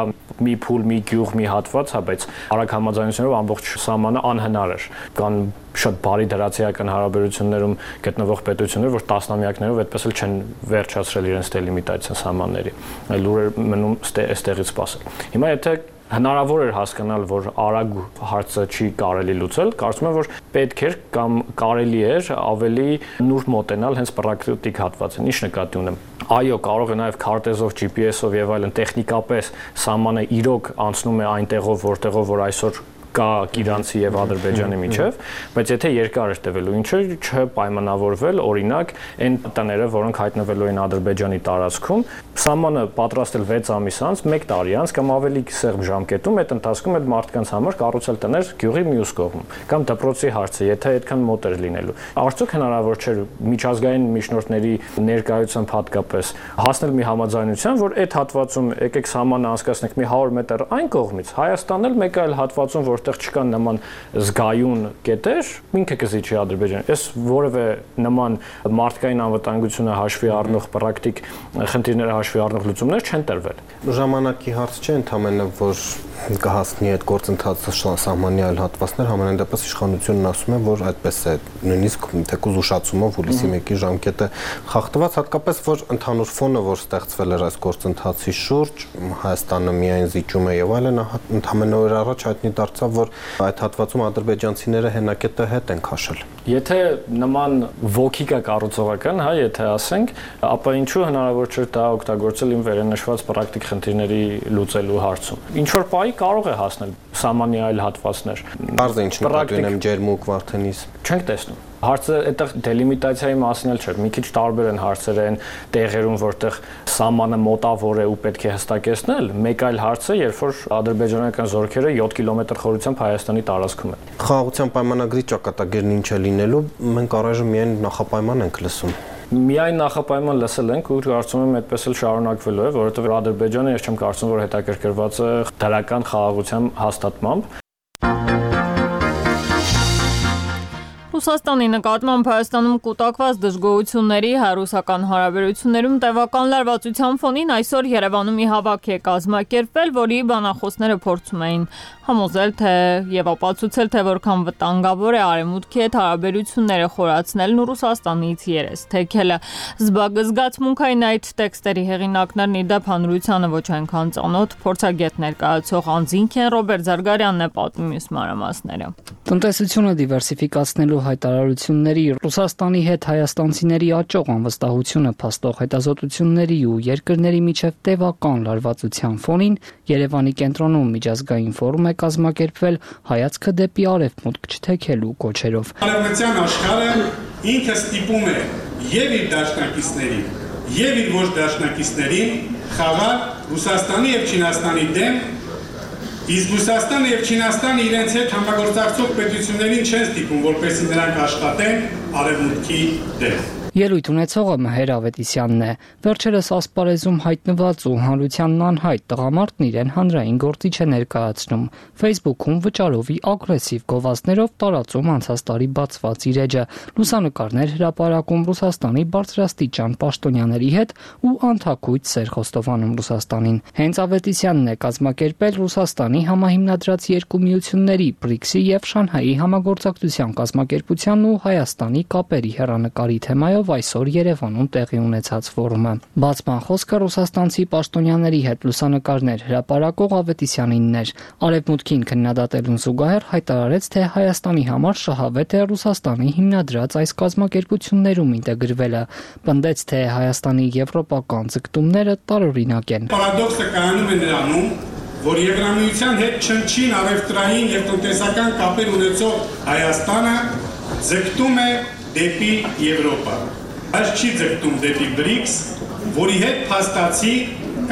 մի փուլ, մի գյուղ, մի հատված, հա, բայց արագ համաձայնություններով ամբողջ սահմանը անհնար էր։ Կան շատ բարի դրացիական հարաբերություններում գտնվող պետություններ, որ տասնամյակներով այդպես էլ չեն վերջացրել իրենց դելիմիտացիան սահմանների։ Լուրեր մնում այստեղից սպասել։ Հիմա եթե հնարավոր էր հասկանալ, որ արագ հարցը չի կարելի լուծել, կարծում եմ, որ պետք էր կամ կարելի էր ավելի նուրբ մոտենալ հենց պրակտիկ հատվածին։ Ինչ նկատի ունեմ։ Այո, կարող է նաև քարտեզով, ջի պի էսով եւ այլն տեխնիկապես սահմանը իրոք անցնում է այնտեղով, որտեղով որ այսօր կա Իրանցի եւ Ադրբեջանի միջև, բայց եթե երկար էր տևելու, ինչը չպայմանավորվել, օրինակ, այն տները, որոնք հայտնվելու են Ադրբեջանի տարածքում, սահմանը պատրաստել վեց ամիս անց, մեկ տարի անց կամ ավելի սեղմ ժամկետում, այդ ընթացքում այդ մարդկանց համար կառուցել տներ գյուղի մյուս կողմում, կամ դպրոցի հարցը, եթե այդքան մոտ էր լինելու։ Արդյոք հնարավոր չէր միջազգային միջնորդների ներկայությամբ հատկապես հասնել մի համաձայնության, որ այդ հատվածում եկեք սահմանը անցկացնենք մի հարյուր մետր այն կողմից, Հայաստանն էլ մեկ այլ հատվածում, որ որտեղ չկան նման զգայուն կետեր, ինքը կզիջի Ադրբեջանը։ Այս որևէ նման մարդկային անվտանգությունը հաշվի առնող պրակտիկ խնդիրները հաշվի առնող լուծումներ չեն տրվել։
Ժամանակի հարց չէ, ընդհանրապես որ կհասնի այդ գործընթացը սահմանի այլ հատվածներ, համենայն դեպս իշխանությունն ասում է, որ այդպես է, նույնիսկ թեկուզ ուշացումով հուլիսի մեկի ժամկետը խախտված, հատկապես որ ընդհանուր ֆոնը, որ ստեղծվել էր այս գործընթացի շուրջ, Հայաստանը միայն զիջում է եւ այլն, ընդհանրապես օր առաջ հայտնի դարձավ, որ այդ հատվածում ադրբեջանցիները հենակետը հետ են քաշել։
Եթե նման ոգի կա կառուցողական, հա, եթե ասենք, ապա ինչու հնարավոր չէ դա օգտագործել իմ վերենշված պրակտիկ խնդիրների լուծելու հարցում։ Ինչ որ պահի կարող է հասնել սահմանի այլ հատվածներ։
Բարձր ինչ նկատի ունեմ ջերմուկ Վարդենիս։
Չենք տեսնում։ Հարցը այդտեղ դելիմիտացիայի մասին էլ չէ, մի քիչ տարբեր են հարցերը այն տեղերում, որտեղ սահմանը մոտավոր է ու պետք է հստակեցնել, մեկ այլ հարց է, երբ որ ադրբեջանական զորքերը յոթ կիլոմետր խորությամբ Հայաստանի տարածքում են։
Խաղաղության պայմանագրի ճակատագիրն ինչ է լինելու, մենք առայժմ միայն նախապայման ենք լսում։
Միայն նախապայման լսել ենք ու կարծում եմ այդպես էլ շարունակվելու է, որովհետև Ադրբեջանը ես չեմ կարծում, որ հետաքրքրված է դրական խաղաղության հաստատմամբ։
Ռուսաստանի նկատմամբ Հայաստանում կուտակված դժգոհությունների հայ-ռուսական հարաբերություններում տևական լարվածության ֆոնին այսօր Երևանում մի հավաք է կազմակերպվել, որի բանախոսները փորձում էին համոզել, թե եւ ապացուցել, թե որքան վտանգավոր է Արևմուտքի հետ հարաբերությունները խորացնելն ու Ռուսաստանից երես թեքելը։ Զբաղազգացմունքային այդ տեքստերի հեղինակներն ի դեպ հանրությանը ոչ այնքան ծանոթ փորձագետ ներկայացող անձինք են, Ռոբերտ Զարգարյանն է պատմում մյուս մանրամասները։
Տնտեսությունը դիվերսիֆիկացնելու հայտարարությունների, Ռուսաստանի հետ հայաստանցիների աճող անվստահությունը փաստող հետազոտությունների ու երկրների միջև տևական լարվածության ֆոնին Երևանի կենտրոնում միջազգային ֆորում է կազմակերպվել հայացքը դեպի արևմուտք չթեքելու կոչերով։
Արևմտյան աշխարհը ինքը ստիպում է եւ իր դաշնակիցներին, եւ իր ոչ դաշնակիցներին խաղալ Ռուսաստանի եւ Չինաստանի դեմ, իսկ Ռուսաստանը եւ Չինաստանը իրենց հետ համագործակցող պետություններին չեն ստիպում, որպեսզի նրանք աշխատեն արևմուտքի դեմ։
Ելույթ ունեցողը Մհեր Ավետիսյանն է։ Վերջերս ասպարեզում հայտնված ու հանրությանն անհայտ տղամարդն իրեն հանրային գործիչ է ներկայացնում։ Facebook-ում վճարովի ագրեսիվ գովազդներով տարածում անցած տարի բացված իր էջը, լուսանկարներ հրապարակում Ռուսաստանի բարձրաստիճան պաշտոնյաների հետ ու անթակույց սեր խոստովանում Ռուսաստանին։ Հենց Ավետիսյանն է կազմակերպել Ռուսաստանի համահիմնադրած երկու միությունների բրիքսի եւ Շանհայի համագործակցության կազմակերպության ու Հայաստանի կապերի հեռանկարի թեմայով այսօր Երևանում տեղի ունեցած ֆորումը։ Բացման խոսքը ռուսաստանցի պաշտոնյաների հետ լուսանկարներ հրապարակող Ավետիսյանինն էր։ Արևմուտքին քննադատելուն զուգահեռ հայտարարեց, թե Հայաստանի համար շահավետ է Ռուսաստանի հիմնադրած այս կազմակերպություններում ինտեգրվելը։ Պնդեց, թե Հայաստանի եվրոպական ձգտումները տարօրինակ են։
Պարադոքսը կայանում է նրանում, որ Եվրամիության հետ չնչին առևտրային եւ տնտեսական կապեր ունեցող Հայաստանը ձգտում է դեպի Եվրոպա։ Այս չի ձգտում դեպի բրիքս, որի հետ փաստացի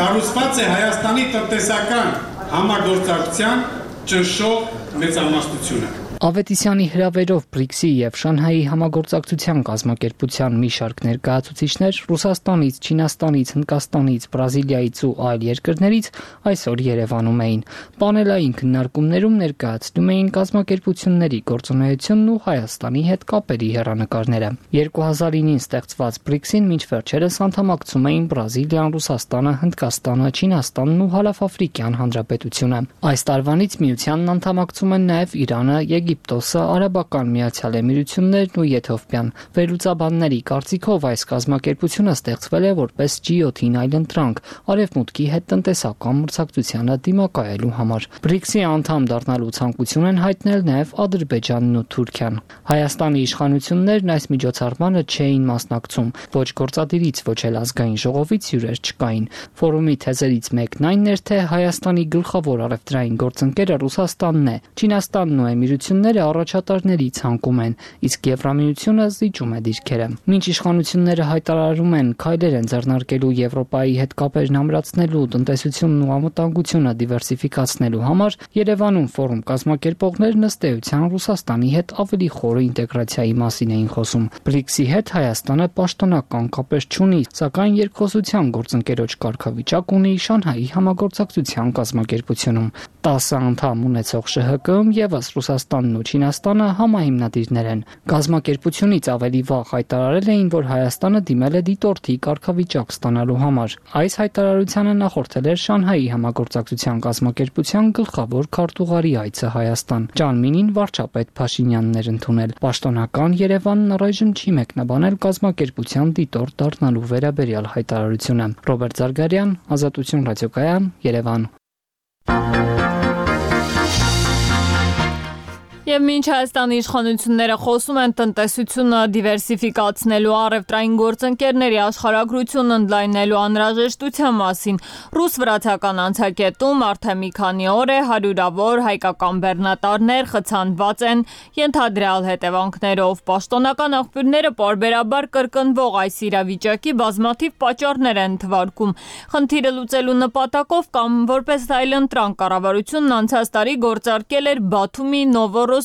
կառուցված է Հայաստանի տնտեսական համագործակցության ճնշող մեծամասնությունը։
Ավետիսյանի հրավերով բրիքսի եւ Շանհայի համագործակցության կազմակերպության մի շարք ներկայացուցիչներ Ռուսաստանից, Չինաստանից, Հնդկաստանից, Բրազիլիայից ու այլ երկրներից այսօր Երևանում էին։ Պանելային քննարկումներում ներկայացնում էին կազմակերպությունների գործունեությունն ու Հայաստանի հետ կապերի հեռանկարները։ երկու հազար ինին ստեղծված բրիքսին մինչ վերջերս անդամակցում էին Բրազիլիան, Ռուսաստանը, Հնդկաստանը, Չինաստանն ու Հարավաֆրիկյան Հանրապետությունը։ Այս տարվանից միությանն անդամակցում են նաև Իրանը, Եգիպտոսը, Արաբական Միացյալ Էմիրություններն ու Եթովպիան։ Վերլուծաբանների կարծիքով այս կազմակերպությունը ստեղծվել է որպես ջի յոթին այլընտրանք Արևմուտքի հետ տնտեսական մրցակցությանը դիմակայելու համար։ բրիքսի անդամ դառնալու ցանկություն են հայտնել նաև Ադրբեջանն ու Թուրքիան։ Հայաստանի իշխանություններն այս միջոցառմանը չէին մասնակցում, ոչ գործադիրից, ոչ էլ ազգային ժողովից հյուրեր չկային։ Ֆորումի թեզերից մեկն այն էր, թե Հայաստանի գլխավոր առևտրային գործընկերը Ռուսաստանն է, Չինաստանն ու Էմիրությունները առաջատարների ցանկում են, իսկ Եվրամիությունը զիջում է դիրքերը։ Մինչ իշխանությունները հայտարարում են քայլեր են ձեռնարկելու Եվրոպայի հետ կապերն ամրացնելու, տնտեսությունն ու անվտանգությունը դիվերսիֆիկացնելու համար, Երևանում ֆորում կազմակերպողներն ըստ էության Ռուսաստանի հետ ավելի խորը ինտեգրացիայի մասին էին խոսում։ բրիքսի հետ Հայաստանը պաշտոնական կապեր չունի, սակայն երկխոսության գործընկերոջ կարգավիճակ ունի Շանհայի համագործակցության կազմակերպությունում։ տասը անդամ ունեցող ՇՀԿ-ում ևս Ռուսաստանն ու Չինաստանը համահիմնադիրներ են։ Կազմակերպությունից ավելի վաղ հայտարարել էին, որ Հայաստանը դիմել է դիտորդի կարգավիճակ ստանալու համար։ Այս հայտարարությանը նախորդել էր Շանհայի համագործակցության կազմակերպության գլխավոր քարտուղարի այցը Հայաստան։ Ճանմինին վարչապետ Փաշինյանն էր ընդունել։ Պաշտոնական Երևանն առայժմ չի մեկնաբանել կազմակերպության դիտորդ դառնալու վերաբերյալ հայտարարությունը։ Ռոբերտ Զարգարյան, Ազատություն ռադիոկայան, Երևան։
Եվ մինչ Հայաստանի իշխանությունները խոսում են տնտեսությունը դիվերսիֆիկացնելու, առևտրային գործընկերների աշխարհագրությունն ընդլայնելու անհրաժեշտության մասին, ռուս-վրացական անցակետում արդեն մի քանի օր է հարյուրավոր հայկական բեռնատարներ խցանված են ենթադրյալ հետևանքներով։ Պաշտոնական աղբյուրները պարբերաբար կրկնվող այս իրավիճակի բազմաթիվ պատճառներ են թվարկում։ Խնդիրը լուծելու նպատակով կամ որպես այլընտրանք կառավարությունն անցած տարի գործարկել էր Բաթումի Նովորոսիսկ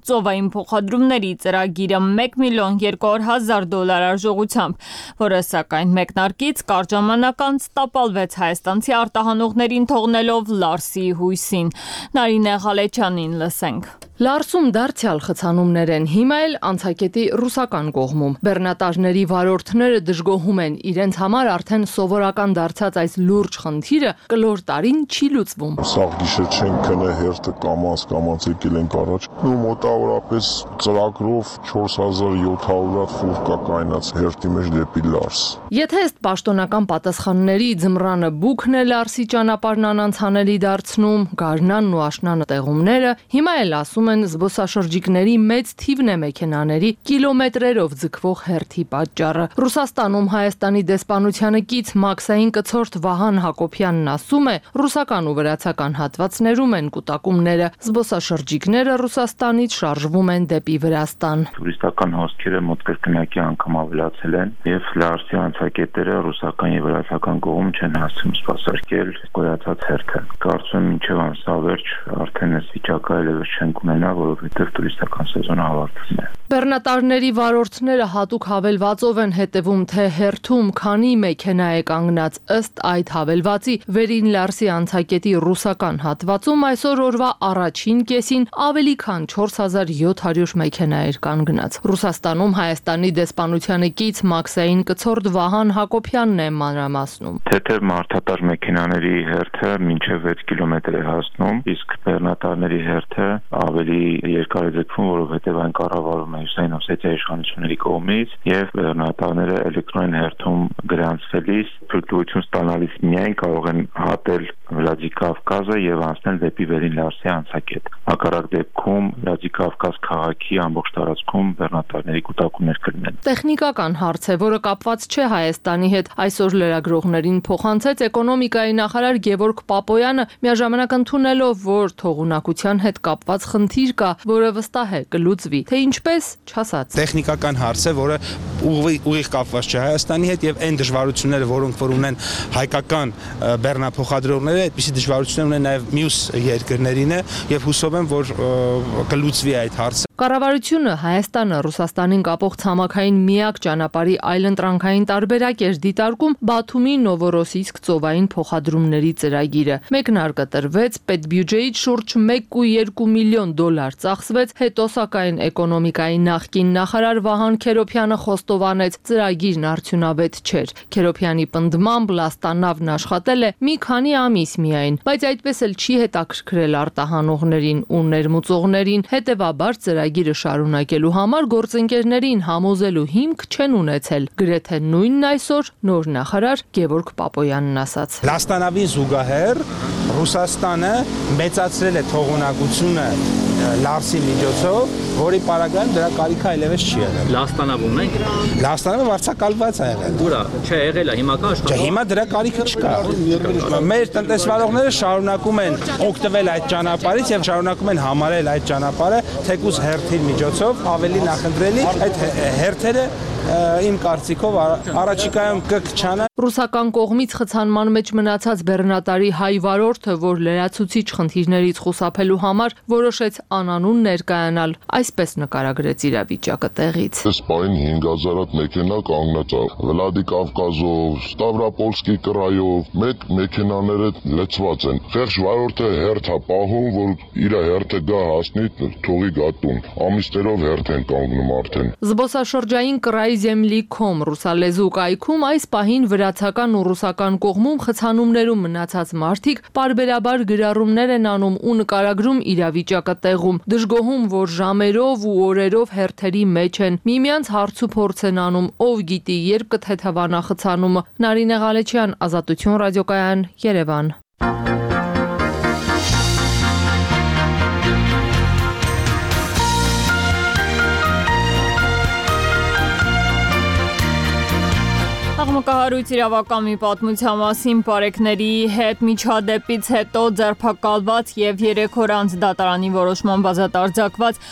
ծովային փոխադրումների ծրագիրը մեկ միլիոն երկու հազար դոլար արժողությամբ, որը սակայն մեկնարկից կարճ ժամանակ անց տապալվեց հայաստանցի արտահանողներին թողնելով Լարսի հույսին։ Նարինե Ղալեչյանին լսենք։
Լարսում դարձյալ խցանումներ են, հիմա էլ անցակետի ռուսական կողմում։ Բեռնատարների վարորդները դժգոհում են, իրենց համար արդեն սովորական դարձած այս լուրջ խնդիրը կլոր տարին չի լուծվում։
Սաղ գիշեր չենք քնե հերթը կամաց կամաց եկել ենք առաջ։ Ու մոտավորապես ծրագրով չորս հազար յոթ հարյուր ֆուր կա կայնած հերթի մեջ դեպի Լարս։
Եթե ըստ պաշտոնական պատասխանների ձմռանը բուքն է Լարսի ճանապարհն անանցանելի դարձնում, գարնանն ու աշնանը տեղումները, հիմա էլ ասում են զբոսաշրջիկների մեծ թիվն է մեքենաների կիլոմետրերով ձգվող հերթի պատճառը։ Ռուսաստանում Հայաստանի դեսպանությանը կից մաքսային կցորդ Վահան Հակոբյանն ասում է, ռուսական ու վրացական հատվածներում են կուտակումները, զբոսաշրջիկները Ռուսաստանից շարժվում են դեպի Վրաստան։
Տուրիստական հոսքերը մոտ կրկնակի անգամ ավելացել են եւ Լարսի անցակետերը ռուսական եւ վրացական կողմ չեն հասցնում սպասարկել գոյացած հերթը։ Կարծում եմ մինչեւ ամսավերջ արդեն այս վիճակը այլևս չենք ունենա, որովհետեւ տուրիստական սեզոնը ավարտվում է։
Բեռնատարների վարորդները հատուկ հավելվածով են հետևում, թե հերթում քանի մեքենա է կանգնած։ Ըստ այդ հավելվածի վերին Լարսի անցակետի ռուսական հատվածում այսօր օրվա առաջին կեսին ավելի քան չորս հազար յոթ հարյուր մեքենա էր կանգնած։ Ռուսաստանում Հայաստանի դեսպանությանը կից մաքսային կցորդ Վահան Հակոբյանն է մանրամասնում։
Թեթև մարդատար մեքենաների հերթը մինչև վեց կիլոմետր է հասնում, իսկ բեռնատարների հերթը ավելի երկար է ձգվում, որովհետև այն կառավարվում է Հյուսիսային Օսեթիայի իշխանությունների կողմից եւ բեռնատարները էլեկտրոնային հերթում գրանցվելիս փրկություն ստանալիս միայն կարող են հատել Վլադիկավկազը եւ անցնել դեպի վերին Լարսի անցակետ։ Հակառակ դեպքում Վլադիկավկազ քաղաքի ամբողջ տարածքում բեռնատարների կուտակումներ կլինեն։
Տեխնիկական հարց է, որը կապված չէ Հայաստանի հետ։ Այսօր լրագրողներին փոխանցեց էկոնոմիկայի նախարար Գևորգ Պապոյանը, միաժամանակ ընդունելով, որ թողունակության հետ կապված խնդիր խնդիր կա, որը վստահ է կլուծվի, թե ինչպես չասած։
Տեխնիկական հարց է, որը ուղիղ կապված չէ Հայաստանի հետ եւ այն դժվարությունները, որոնք որ ունեն հայկական բեռնափոխադրողները, այդպիսի դժվարություններ ունեն նաեւ մյուս երկրներին է եւ հուսով եմ, որ կլուծվի այդ հարցը։
Կառավարությունը Հայաստանը Ռուսաստանին կապող ցամաքային միակ ճանապարհի այլընտրանքային տարբերակ էր դիտարկում Բաթումի Նովորոսիիսկ ծովային փոխադրումների ծրագիրը։ Մեկնարկը տրվեց, պետբյուջեից շուրջ մեկ կόμμα երկու միլիոն դոլար ծախսվեց, հետո սակայն էկոնոմիկայի նախկին նախարար Վահան Քերոփյանը խոստովանեց, ծրագիրն արդյունավետ չէր։ Քերոփյանի պնդմամբ լաստանավն աշխատել է մի քանի ամիս միայն, բայց այդպես էլ չի հետաքրքրել արտահանողներին ու ներմուծողներին, հետևաբար ծրագիրը շարունակելու համար գործընկերներին համոզելու հիմք չեն ունեցել։ Գրեթե նույնն այսօր նոր նախարար Գևորգ Պապոյանն ասաց։
Լաստանավին զուգահեռ Ռուսաստանը մեծացրել է թողունակությունը Լարսի միջոցով, որի պարագայում դրա կարիքը այլևս չի եղել։
Լաստանավում եք։
Լաստանավը վարձակալված է եղել։
Ուրա, չէ, եղել է, հիմա կա աշխատող։
Չէ, հիմա դրա կարիքը չկա։ Մեր տնտեսվարողները շարունակում են օգտվել այդ ճանապարհից եւ շարունակում են համարել այդ ճանապարհը թեկուզ հերթի միջոցով ավելի նախընտրելի։ Այդ հերթերը իմ կարծիքով առաջիկայում կքչանա։
Ռուսական կողմից խցանման մեջ մնացած բեռնատարի հայ վարորդը, որ լրացուցիչ խնդիրներից խուսափելու համար որոշեց անանուն ներկայանալ, այսպես նկարագրեց իրավիճակը տեղից։
Այս պահին հինգ հազար հատ մեքենա կանգնած է Վլադիկավկազով, Ստավրապոլսկի կրայով, մեկ մեքենաները լցված են։ Խեղճ վարորդը հերթ է պահում, որ իր հերթը գա հասնի, թողի գա տուն։ Ամիսներով հերթ են կանգնում արդեն։
Զբոսաշրջային կրայի Zemli.com ռուսալեզու կայքում այս պահին վրացական ու ռուսական կողմում խցանումներում մնացած մարդիկ պարբերաբար գրառումներ են անում ու նկարագրում իրավիճակը տեղում, դժգոհում, որ ժամերով ու օրերով հերթերի մեջ են, միմյանց հարց ու փորձ են անում, ով գիտի երբ կթեթևանա խցանումը։ Նարինե Ղալեչյան, Ազատություն ռադիոկայան, Երևան։
Աղմկահարույց իրավական մի պատմության մասին բարեկների հետ միջադեպից հետո ձերբակալված եւ երեք օր անց դատարանի որոշման բազատարձակված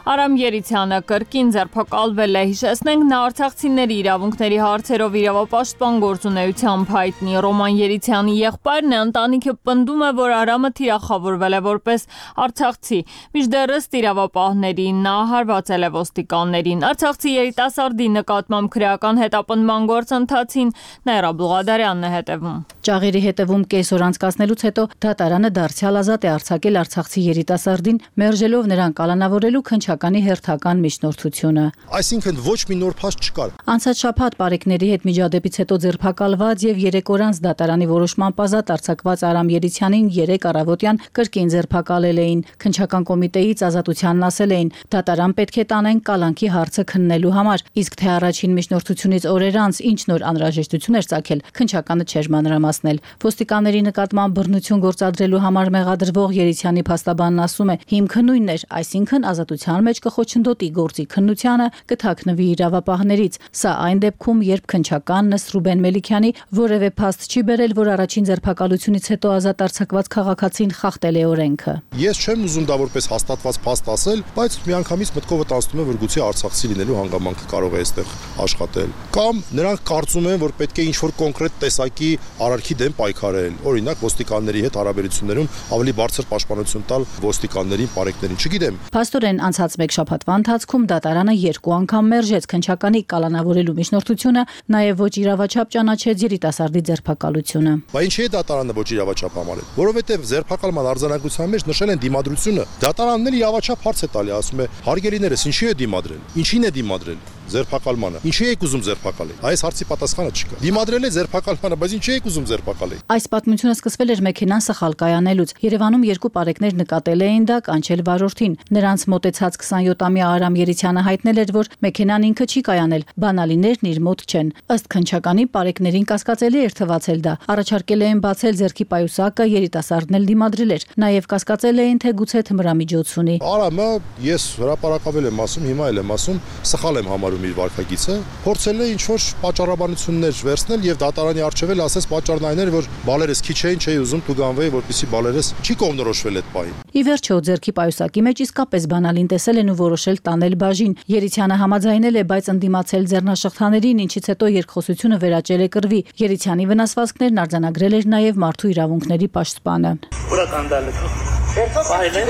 Արամ Երիցյանը կրկին ձերբակալվել է։ Հիշեցնենք, նա արցախցիների իրավունքների հարցերով իրավապաշտպան գործունեությամբ հայտնի Ռոման Երիցյանի եղբայրն է, ընտանիքը պնդում է, որ Արամը թիրախավորվել է որպես արցախցի, մինչդեռ ըստ իրավապահների նա հարվածել է ոստիկաններին։ Արցախցի երիտասարդի նկատմամբ քրեական հետապնդման գործընթացին Նաիրա Բուղադարյանն է հետևում։
Ճաղերի հետևում կես օր անցկացնելուց հետո դատարանը դարձյալ ազատ է արձակել արցախցի երիտասարդին, մերժելով նրան կալանավորելու քննչականի հերթական միջնորդությունը։
Այսինքն ոչ մի նոր փաստ չկար։
Անցած շաբաթ բարեկների հետ միջադեպից հետո ձերբակալված եւ երեք օր անց դատարանի որոշմամբ ազատ արձակված Արամ Երիցյանին երեք առավոտյան կրկին ձերբակալել էին։ Քննչական կոմիտեից ազատությանն ասել էին, դատարան պետք է տանեն կալանքի հարցը քննելու համար, իսկ թե առաջին միջնորդությունից օրեր անց ինչ նոր անհրաժեշտություն էր ծագել, քննչականը չէր մանրամասնել։ Ոստիկանների նկատմամբ բռնություն գործադրելու համար մեղադրվող Երիցյանի փաստաբանն ասում է, հիմքը նույնն էր, այսինքն ազատության մեջ կխոչընդոտի գործի քննությանը, կթաքնվի իրավապահներից։ Սա այն դեպքում, երբ քննչականն ըստ Ռուբեն Մելիքյանի որևէ փաստ չի բերել, որ առաջին ձերբակալությունից հետո ազատ արձակված քաղաքացին խախտել է օրենքը։
Ես չեմ ուզում դա որպես հաստատված փաստ ասել, բայց միանգամից մտքովը տանցնում է, որ գուցե արցախցի լինելու հանգամանքը կարող է այստեղ աշխատել։ Կամ նրանք կարծում են, որ պետք է ինչ-որ կոնկրետ տեսակի արարքի դեմ պայքարել, օրինակ ոստիկանների հետ հարաբերություններում ավելի բարձր պաշտպանություն տալ ոստիկաններին, պարեկներին, չգիտեմ։
Փաստորեն անցած մեկ շաբաթվա ընթացքում դատարանը երկու անգամ մերժեց քննչականի կալանավորելու միջնորդությունը, նաև ոչ իրավաչափ ճանաչեց երիտասարդի ձերբակալությունը։
Բայց ինչի է դատարանը ոչ իրավաչափ համարել, որովհետև ձերբակալման արձանագրության մեջ նշել են դիմադրությունը։ Դատարանն էլ իրավաչափ հարց է տալի, ասում է՝ հարգելիներս, ինչի է դիմադրել, ինչին է դիմադրել ձերբակալմանը, ինչի եք ուզում ձերբակալել։ Այս հարցի պատասխանը չկա։ Դիմադրել է ձերբակալմանը, բայց ինչի եք ուզում ձերբակալել։
Այս պատմությունը սկսվել էր մեքենան սխալ կայանելուց։ Երևանում երկու պարեկներ նկատել էին դա կանչել վարորդին։ Նրանց մոտեցած քսանյոթամյա Արամ Երիցյանը հայտնել էր, որ մեքենան ինքը չի կայանել, բանալիներն իր մոտ չեն։ Ըստ քննչականի պարեկներին կասկածելի էր թվացել դա։ Առաջարկել էին բացել ձեռքի պայուսակը, երիտասարդն էլ դիմադրել էր։ Նաև կասկածել էին, թե գուցե թմրամիջոց ունի։
Արամը ես հրապարակավել եմ ասում, հիմա էլ եմ ասում, սխալ եմ համարում ձևավորում իր վարքագիծը, փորձել է ինչ-որ պատճառաբանություններ վերցնել եւ դատարանի առջեւել ասես պատճառն այն էր, որ բալերս քիչ էին, չէի ուզում դու գանվեի, որպեսզի բալերս չի կողմնորոշվել այդ պահին։
Ի վերջո ձերքի պայուսակի մեջ իսկապես բանալին տեսել են ու որոշել տանել բաժին։ Երիցյանը համաձայնել է, բայց ընդդիմացել ձեռնաշղթաներին, ինչից հետո երկխոսությունը վերաճել է կռվի։ Երիցյանի վնասվածքներն արձանագրել էր նաև մարդու իրավունքների պաշտպանը։
Ուրա կանդալը։ Ֆայլեր,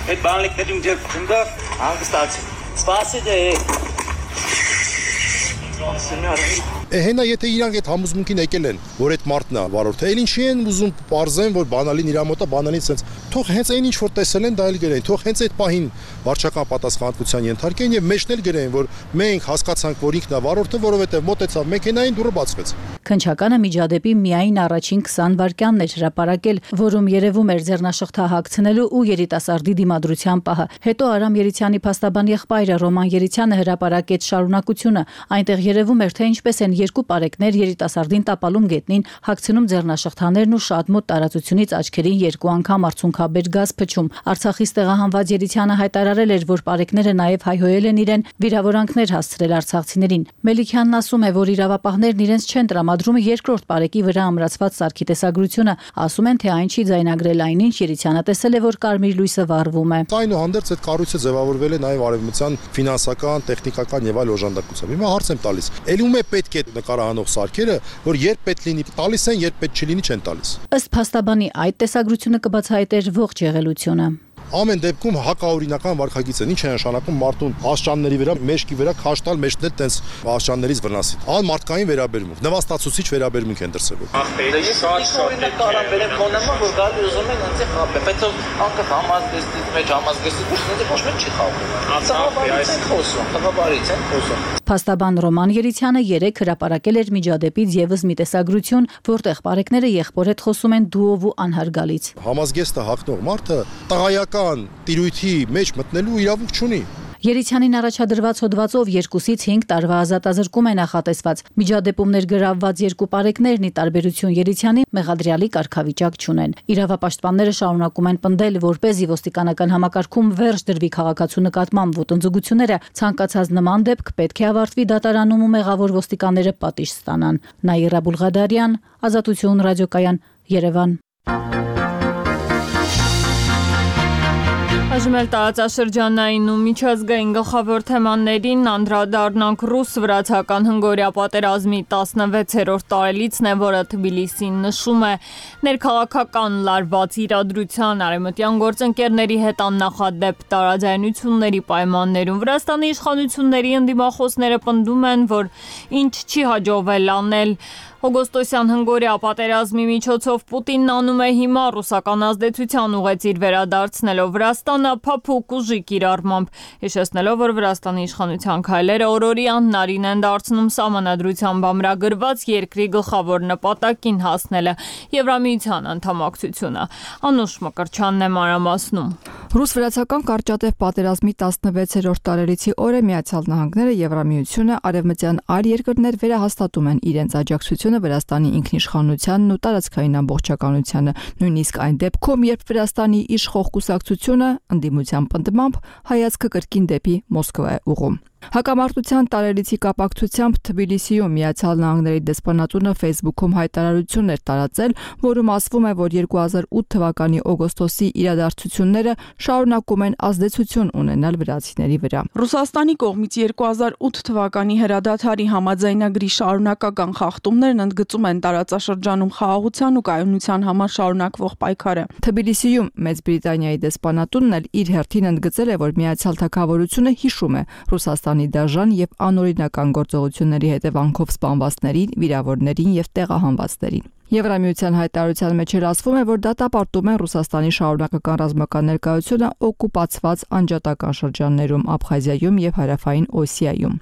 այդ բանալիքների միջև քնդա հանգստացի։ Սպասի դե։
Հենա եթե իրանք այդ համոզմունքին եկել են, որ այդ մարդն է վարորդը, այլ ինչի են ուզում պարզեն, որ բանալին իր մոտ է, բանալին sense թող հենց այն ինչ որ տեսել են, դա էլ գրեն, թող հենց այդ պահին վարչական պատասխանատվության ենթարկեն եւ մեջն էլ գրեն, որ մենք հասկացանք, որ ինքն է վարորդը, որովհետեւ մոտեցավ մեքենային, դուռը բացվեց։
Քնչականը միջադեպի միայն առաջին քսան վայրկյանն էր հրապարակել, որում երևում էր ձեռնաշղթա հագցնելու ու երիտասարդի դիմադրության պահը։ Հետո Արամ Երիցյանի փաստաբան եղբայրը Ռոման Երիցյանը հրապարակեց շարունակությունը։ Այնտեղ երևում էր, թե ինչպես են երկու պարեկներ երիտասարդին տապալում գետնին, հագցնում ձեռնաշղթաներն ու շատ մոտ տարածությունից աչքերին երկու անգամ արցունքաբեր գազ փչում։ Արցախից տեղահանված Երիցյանը հայտարարել էր, որ պարեկները նաև հայհոյել են իրեն, վիրավորանքներ հասցրել արցախցիներին։ Մելիքյանն ասում է, որ իրավապահներն իրենց չեն տրամադրում երկրորդ պարեկի վրա ամրացված սարքի տեսագրությունը, ասում են, թե այն չի ձայնագրել այնինչ Երիցյանը տեսել է, որ կարմիր լույսը վառվում է։
Այնուհանդերձ այդ կառույցը ձևավորվել է նաև արևմտյան ֆինանսական, տեխնիկական եւ այլ օժանդակությամբ։ Հիմա հարց եմ տալիս, ել ում է պետք է նկարահանող սարքերը, որ երբ պետք լինի տալիս են, երբ պետք չլինի չեն տալիս։
Ըստ փաստաբանի այդ տեսագրությունը կբացահայտեր ողջ եղելությունը։
Ամեն դեպքում հակաօրինական վարքագիծ են, ինչ է նշանակում մարդուն աշճանների վրա, մեջքի վրա քաշտալ, մեջնել տենց աշճաններից վնասի։ Ան մարդկային վերաբերմունք, նվաստացուցիչ վերաբերմունք են դրսևորում։
Ախպերը ես օրինակ կարամ վերեմ կոնեմա, որ գալի ուզում են ինձ խաբել, բայց անկախ համազգեստից մեջ համազգեստի դուրս ինձ ոչ մեկ չի խաբում։ Խաղաբարից են խոսում, խաղաբարից են խոսում։
Փաստաբան Ռոման Երիցյանը երեք հրապարակել էր միջադեպից եւս մի տեսագրություն, որտեղ պարեկները եղբոր հետ խոսում են դուով ու անհարգալից։
Համազգեստը հագնող մարդը տղայական տիրույթի մեջ մտնելու իրավունք չունի։
Երիցյանին առաջադրված հոդվածով երկուսից հինգ տարվա ազատազրկում է նախատեսված։ Միջադեպում ներգրավված երկու պարեկներն ի տարբերություն Երիցյանի մեղադրյալի կարգավիճակ չունեն։ Իրավապաշտպանները շարունակում են պնդել, որպեսզի ոստիկանական համակարգում վերջ դրվի քաղաքացու նկատմամբ ոտնձգությունները, ցանկացած նման դեպք պետք է ավարտվի դատարանում ու մեղավոր ոստիկանները պատիժ ստանան։ Նաիրա Բուլղադարյան, Ազատություն ռադիոկայան, Երևան։
Այժմ էլ տարածաշրջանային ու միջազգային գլխավոր թեմաներին անդրադառնանք ռուս-վրացական հնգօրյա պատերազմի տասնվեցերորդ տարելիցն է, որը Թբիլիսին նշում է ներքաղաքական լարված իրադրության արևմտյան գործընկերների հետ աննախադեպ տարաձայնությունների պայմաններում։ Վրաստանի իշխանությունների ընդդիմախոսները պնդում են, որ ինչ չի հաջողվել անել օգոստոսյան հնգօրյա պատերազմի միջոցով Պուտինն անում է հիմա ռուսական ազդեցության ուղեծիր վերադարձնելով Վրաստանը փափուկ ուժի կիրառմամբ, հիշեցնելով, որ Վրաստանի իշխանության քայլերը օրորյան նարին են դարձնում սահմանադրությամբ ամրագրված երկրի գլխավոր նպատակին հասնելը Եվրամիության անդամակցությունը։ Անուշ Մկրտչյանն է մանրամասնում։
Ռուս-վրացական կարճատև պատերազմի տասնվեցերորդ տարելիցի օրը Միացյալ Նահանգները, Եվրամիությունը, արևմտյան այլ երկրներ վերահաստատում են իրենց աջակցությունը Վրաստանի ինքնիշխանությանն ու տարածքային ամբողջականությանը, նույնիսկ այն դեպքում, երբ Վրաստանի իշխող կուսակցությունը ընդդիմության պնդմամբ հայացքը կրկին դեպի Մոսկվա է ուղղում։ Հակամարտության տարելիցի կապակցությամբ Թբիլիսիում Միացյալ Նահանգների դեսպանատունը Facebook-ում հայտարարություն էր տարածել, որում ասվում է, որ երկու հազար ութ թվականի օգոստոսի իրադարձությունները շարունակում են ազդեցություն ունենալ վրացիների վրա։
Ռուսաստանի կողմից երկու հազար ութ թվականի հրադադարի համաձայնագրի շարունակական խախտումներն ընդգծում են տարածաշրջանում խաղաղության ու կայունության համար շարունակվող պայքարը։
Թբիլիսիում Մեծ Բրիտանիայի դեսպանատունն էլ իր հերթին ընդգծել է, որ Միացյալ Թագավորությունը հիշում է Ռուսաստանի դաժան եւ անօրինական գործողությունների հետևանքով սպանվածներին, վիրավորներին եւ տեղահանվածներին։ Եվրամիության հայտարարության մեջ էլ ասվում է, որ դատապարտում են Ռուսաստանի շարունակական ռազմական ներկայությունը օկուպացված անջատական շրջաններում Աբխազիայում եւ Հարավային Օսիայում։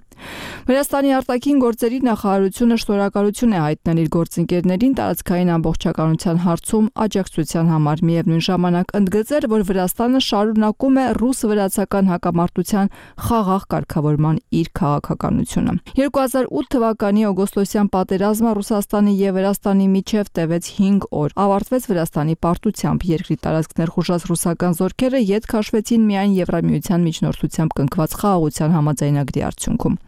Վրաստանի արտաքին գործերի նախարարությունը շնորհակալություն է հայտնել իր գործընկերներին տարածքային ամբողջականության հարցում աջակցության համար, միևնույն ժամանակ ընդգծել, որ Վրաստանը շարունակում է ռուս-վրացական հակամարտության խաղաղ կարգավորման իր քաղաքականությունը։ երկու հազար ութ թվականի օգոստոսյան պատերազմը Ռուսաստանի եւ Վրաստանի միջև տևեց հինգ օր։ Ավարտվեց Վրաստանի պարտությամբ, երկրի տարածքներ խուժած ռուսական զորքերը ետ քաշվեցին միայն Եվրամիության միջնորդությամբ կնքված խաղաղության համաձայնագրի արդյունքում։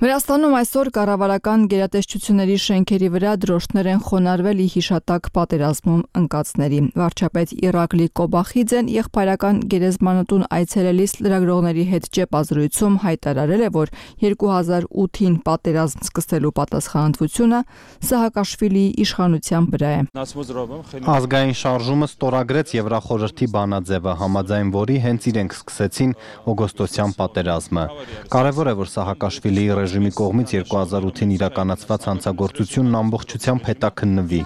Վրաստանում այսօր կառավարական գերատեսչությունների շենքերի վրա դրոշներ են խոնարհվել ի հիշատակ պատերազմում ընկածների։ Վարչապետ Իրակլի Կոբախիձեն եղբայրական գերեզմանատուն այցելելիս լրագրողների հետ ճեպազրույցում հայտարարել է, որ երկու հազար ութին պատերազմ սկսելու պատասխանատվությունը Սահակաշվիլիի իշխանության վրա է։
Ազգային շարժումը ստորագրեց Եվրախորհրդի բանաձևը, համաձայն որի հենց իրենք սկսեցին օգոստոսյան պատերազմը։ Կարևոր է, որ Սահակաշվիլիի ռեժիմի կողմից երկու հազար ութին իրականացված հանցագործությունն ամբողջությամբ հետաքննվի։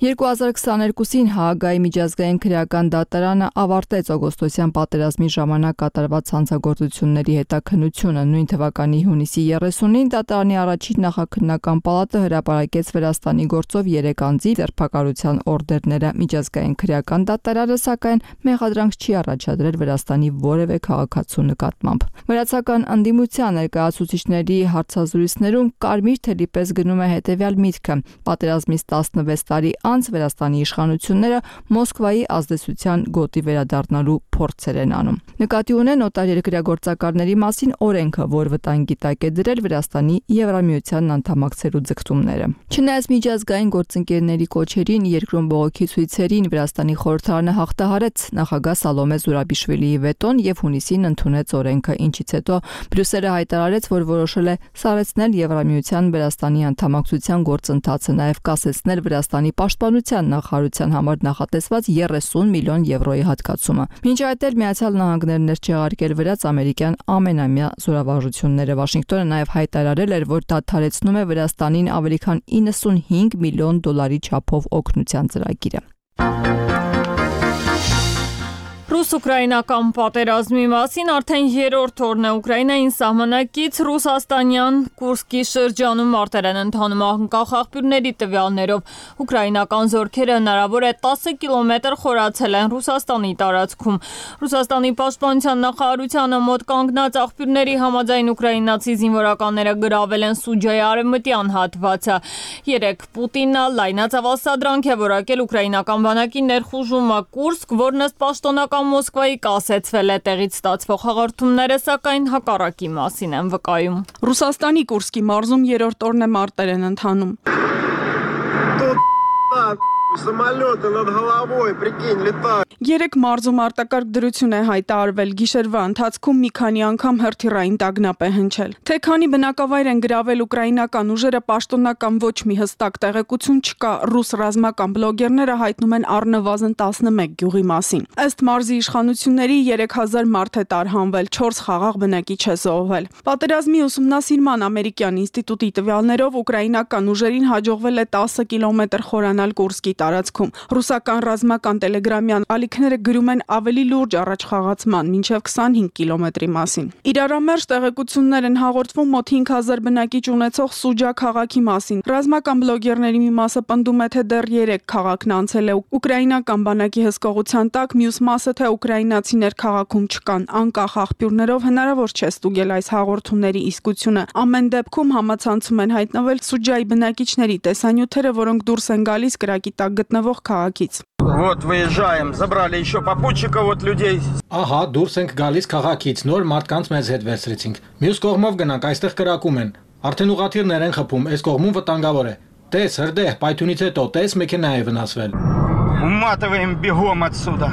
երկու հազար քսաներկուսին Հաագայի միջազգային քրեական դատարանը ավարտեց օգոստոսյան պատերազմի ժամանակ կատարված հանցագործությունների հետաքննությունը։ Նույն թվականի հունիսի երեսունին դատարանի առաջին նախաքննական պալատը հրապարակեց Վրաստանի գործով երեք անձի ձերբակալության օրդերները։ Միջազգային քրեական դատարանը սակայն մեղադրանք չի առաջադրել Վրաստանի որևէ քաղաքացու նկատմամբ։ Վրացական ընդդիմության ներկայացուցիչների հարցազրույցներում կարմիր թելի պես գնում է հետևյալ միտքը. պատերազմից տասնվեց տարի անց Վրաստանի իշխանությունները Մոսկվայի ազդեցության գոտի վերադառնալու փորձեր են անում։ Նկատի ունեն օտարերկրյա գործակալների մասին օրենքը, որ վտանգի տակ է դրել Վրաստանի Եվրամիությանն անդամակցելու ձգտումները։ Չնայած միջազգային գործընկերների կոչերին, երկրում բողոքի ցույցերին Վրաստանի խորհրդարանը հաղթահարեց նախագահ Սալոմե Զուրաբիշվիլիի վետոն եւ հունիսին ընդունեց օրենքը, ինչից հետո Բրյուսելը հայտարարեց, որ որոշել է սառեցնել Եվրամիության Վրաստանի անդամակցության գործընթացը, նաև կասեցնել Վրաստանի պաշտպանության նախարարության համար նախատեսված երեսուն միլիոն եվրոյի հատկացումը։ Մինչ այդ էլ Միացյալ Նահանգներն էր չեղարկել վրաց ամերիկյան ամենամյա զորավարժությունները։ Վաշինգտոնը նաև հայտարարել էր, որ դադարեցնում է Վրաստանին ավելի քան իննսունհինգ միլիոն դոլարի չափով օգնության ծրագիրը։
Ռուս-ուկրաինական պատերազմի մասին արդեն երրորդ օրն է Ուկրաինային սահմանակից ռուսաստանյան Կուրսկի շրջանում մարտեր են ընթանում անկախ աղբյուրների տվյալներով։ Ուկրաինական զորքերը հնարավոր է տասը կիլոմետր խորացել են Ռուսաստանի տարածքում։ Ռուսաստանի պաշտպանության նախարարությանը մոտ կանգնած աղբյուրների համաձայն ուկրաինացի զինվորականները գրավել են Սուջայի արևմտյան հատվածը։ Երեք Պուտինը լայնածավալ սադրանք է որակել ուկրաինական բանակի ներխուժումը Կուրսկ, որն ըստ պաշտոնական Մոսկվայի կասեցվել է տեղից ստացվող հաղորդումները, սակայն հակառակի մասին են վկայում։
Ռուսաստանի Կուրսկի մարզում երրորդ օրն է մարտեր են ընթանում։ Երեք մարզում արտակարգ դրություն է հայտարարվել, գիշերվա ընթացքում մի քանի անգամ հրթիռային տագնապ է հնչել։ Թե քանի բնակավայր են գրավել ուկրաինական ուժերը, պաշտոնական ոչ մի հստակ տեղեկություն չկա։ Ռուս ռազմական բլոգերները հայտնում են առնվազն տասնմեկ գյուղի մասին։ Ըստ մարզի իշխանությունների երեք հազար մարդ է տարհանվել, չորս խաղաղ բնակիչ է զոհվել։ Պատերազմի ուսումնասիրման ամերիկյան ինստիտուտի տվյալներով ուկրաինական ուժերին հաջողվել է տասը կիլոմետր խորանալ Կուրսկի տարածքում։ Ռուսական ռազմական տելեգրամյան ալիքները գրում են ավելի լուրջ առաջխաղացման, մինչև քսանհինգ կիլոմետրի մասին։ Իրարամերժ տեղեկություններ են հաղորդվում մոտ հինգ հազար բնակիչ ունեցող Սուջա քաղաքի մասին։ Ռազմական բլոգերների մի մասը պնդում է, թե դեռ երեք քաղաքն անցել է ուկրաինական բանակի հսկողության տակ, մյուս մասը, թե ուկրաինացիներ քաղաքում չկան։ Անկախ աղբյուրներով հնարավոր չէ ստուգել այս հաղորդումների իսկությունը։ Ամեն դեպքում համացանցում են հայտնվել Սուջայի բնակիչների տեսանյութերը, որոնք դուրս են գալիս կրակի տակ գտնվող քաղաքից։
Вот выезжаем, забрали еще попутчиков вот людей.
Ահա դուրս ենք գալիս քաղաքից, նոր մարդկանց մեզ հետ վերցրեցինք։ Մյուս кողմով գնանք, այստեղ կրակում են։ Արդեն ուղղաթիռներ են խփում, այս կողմում վտանգավոր է։ Տես, հրդեհ, պայթյունից հետո, տես մեքենա է վնասվել։
Уматываем бегом отсюда.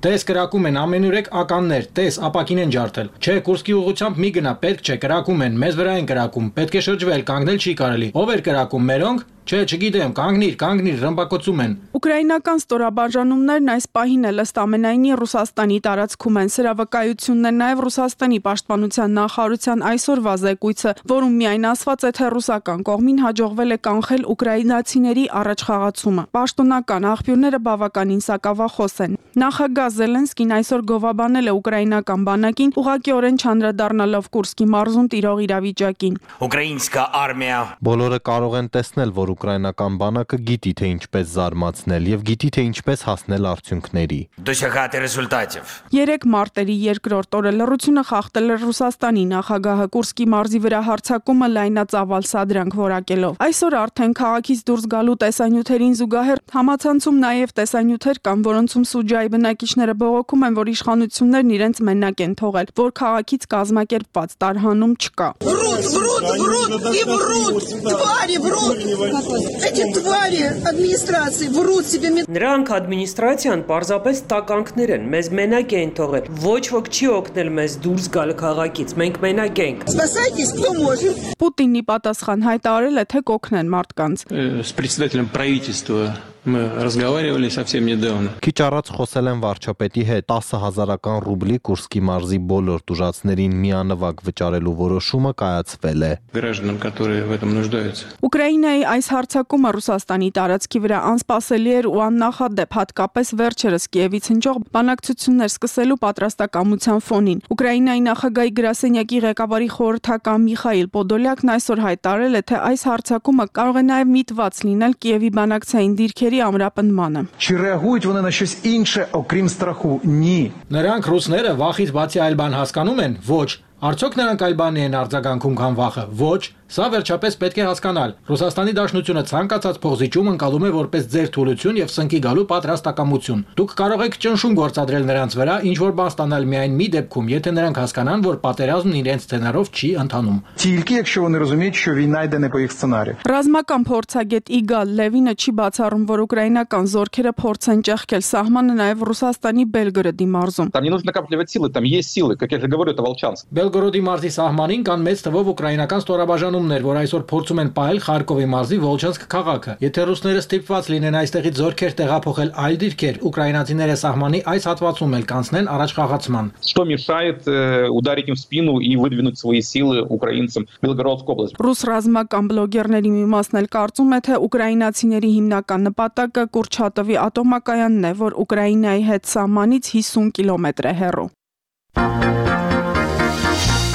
Տես կրակում են ամենուրեք ականներ, տես ապակին են ջարդել։ Չէ, Կուրսկի ուղղությամբ մի գնա, պետք չէ, կրակում են, մեզ վրա են կրակում, պետք է շրջվել, կանգնել չի կարելի։ Ով էր կրակում, մերոնք։ Չէ, չգիտեմ, կանգնիր, կանգնիր, ռմբակոծում են։
Ուկրաինական ստորաբաժանումներն այս պահին էլ ըստ ամենայնի Ռուսաստանի տարածքում են։ Սրա վկայությունն է նաև Ռուսաստանի պաշտպանության նախարարության այսօրվա զեկույցը, որում միայն ասված է, թե ռուսական կողմին հաջողվել է կանխել ուկրաինացիների առաջխաղացումը։ Պաշտոնական աղբյուրները բավականին սակավախոս են։ Նախագահ Զելենսկին այսօր գովաբանել է ուկրաինական բանակին, ուղղակիորեն չանդրադառնալով Կուրսկի մարզում տիրող իրավիճակին։
Ուկրաինская армия
Բոլորը կարող են տեսնել, որ ուկրաինական բանակը գիտի թե ինչպես զարմացնել եւ գիտի թե ինչպես հասնել արդյունքների։
Досягати результатів.
Երեք մարտերի երկրորդ օրը լռությունը խախտել է Ռուսաստանի նախագահը Կուրսկի մարզի վրա հարձակումը լայնածավալ սադրանք որակելով։ Այսօր արդեն քաղաքից դուրս գալու տեսանյութերին զուգահեռ համացանցում նաև տեսանյութեր կան, որոնցում Սուջայի բնակիչները բողոքում են, որ իշխանություններն իրենց մենակ են թողել, որ քաղաքից կազմակերպված տարհանում չկա։
Врут, врут, врут и врут. Твари врут. Эти твари администрации врут себе.
Նրանք ադմինիստրացիան պարզապես տականքներ են, մեզ մենակ են թողել։ Ոչ ոք չի օգնել մեզ դուրս գալ քաղաքից։ Մենք մենակ ենք։
Спасайтесь, кто может.
Պուտինի պատասխան հայտարարել է, թե կօգնեն մարդկանց։
С председателем правительства мы разговаривали совсем недавно.
Քիչ առաջ խոսել են վարչապետի հետ տասը հազարական ռուբլի Կուրսկի մարզի բոլոր տուժածներին միանվագ վճարելու որոշումը կայացվել է։
Гражданам, которые в этом нуждаются.
Ուկրաինայի այս հարձակումը Ռուսաստանի տարածքի վրա անսպասելի էր ու աննախադեպ, հատկապես վերջերս Կիևից հնչող բանակցություններ սկսելու պատրաստակամության ֆոնին։ Ուկրաինայի նախագահի գրասենյակի ղեկավարի խորհրդական Միխայիլ Պոդոլյակն այսօր հայտարարել է, թե այս հարձակումը կարող է նաև միտված լինել Կիևի բանակցային դիրքերի ամրապնդմանը։
Чи реагують вони на щось інше, окрім страху? Ні.
Նրանք ռուսները վախից բացի այլ բան հասկանում են։ Ոչ։ Արդյոք նրանք այլ բանի են արձագանքում, քան վախը։ Ոչ։ Սա վերջապես պետք է հասկանալ։ Ռուսաստանի Դաշնությունը ցանկացած փոխզիջում ընկալում է որպես ձեր թուլություն եւ սնկի գալու պատրաստակամություն։ Դուք կարող եք ճնշում գործադրել նրանց վրա, ինչ որ բան ստանալ միայն մի դեպքում, եթե նրանք հասկանան, որ պատերազմն իրենց սցենարով չի ընթանում։
Тільки якщо вони розуміють, що війна йде не по їх сценарію.
Ռազմական փորձագետ Իգալ Լևինը չի բացառում, որ ուկրաինական զորքերը փորձ են ճեղքել սահմանը նաև Ռուսաստանի Բելգրադի մարզում։
Там не нужно накапливать силы, там есть силы, как я же говорю, это Волчанск.
Բելգորոդի մարզի սահմանին կան մեծ թվով ուկրաինական ստորաբաժանումներ, որ այսօր փորձում են պահել Խարկովի մարզի Վոլչանսկ քաղաքը։ Եթե ռուսները ստիպված լինեն այստեղից զորքեր տեղափոխել այլ դիրքեր, ուկրաինացիները սահմանի այս հատվածում էլ կանցնեն առաջ խաղացման։
Что мешает ударить им в спину и выдвинуть свои силы украинцам в Белгородскую область?
Ռուս ռազմական բլոգերների մի մասն էլ կարծում է, թե ուկրաինացիների հիմնական նպատակը Կուրչատովի ատոմակայանն է, որ Ուկրաինայի հետ սահմանից հիսուն կիլոմետր է հեռու։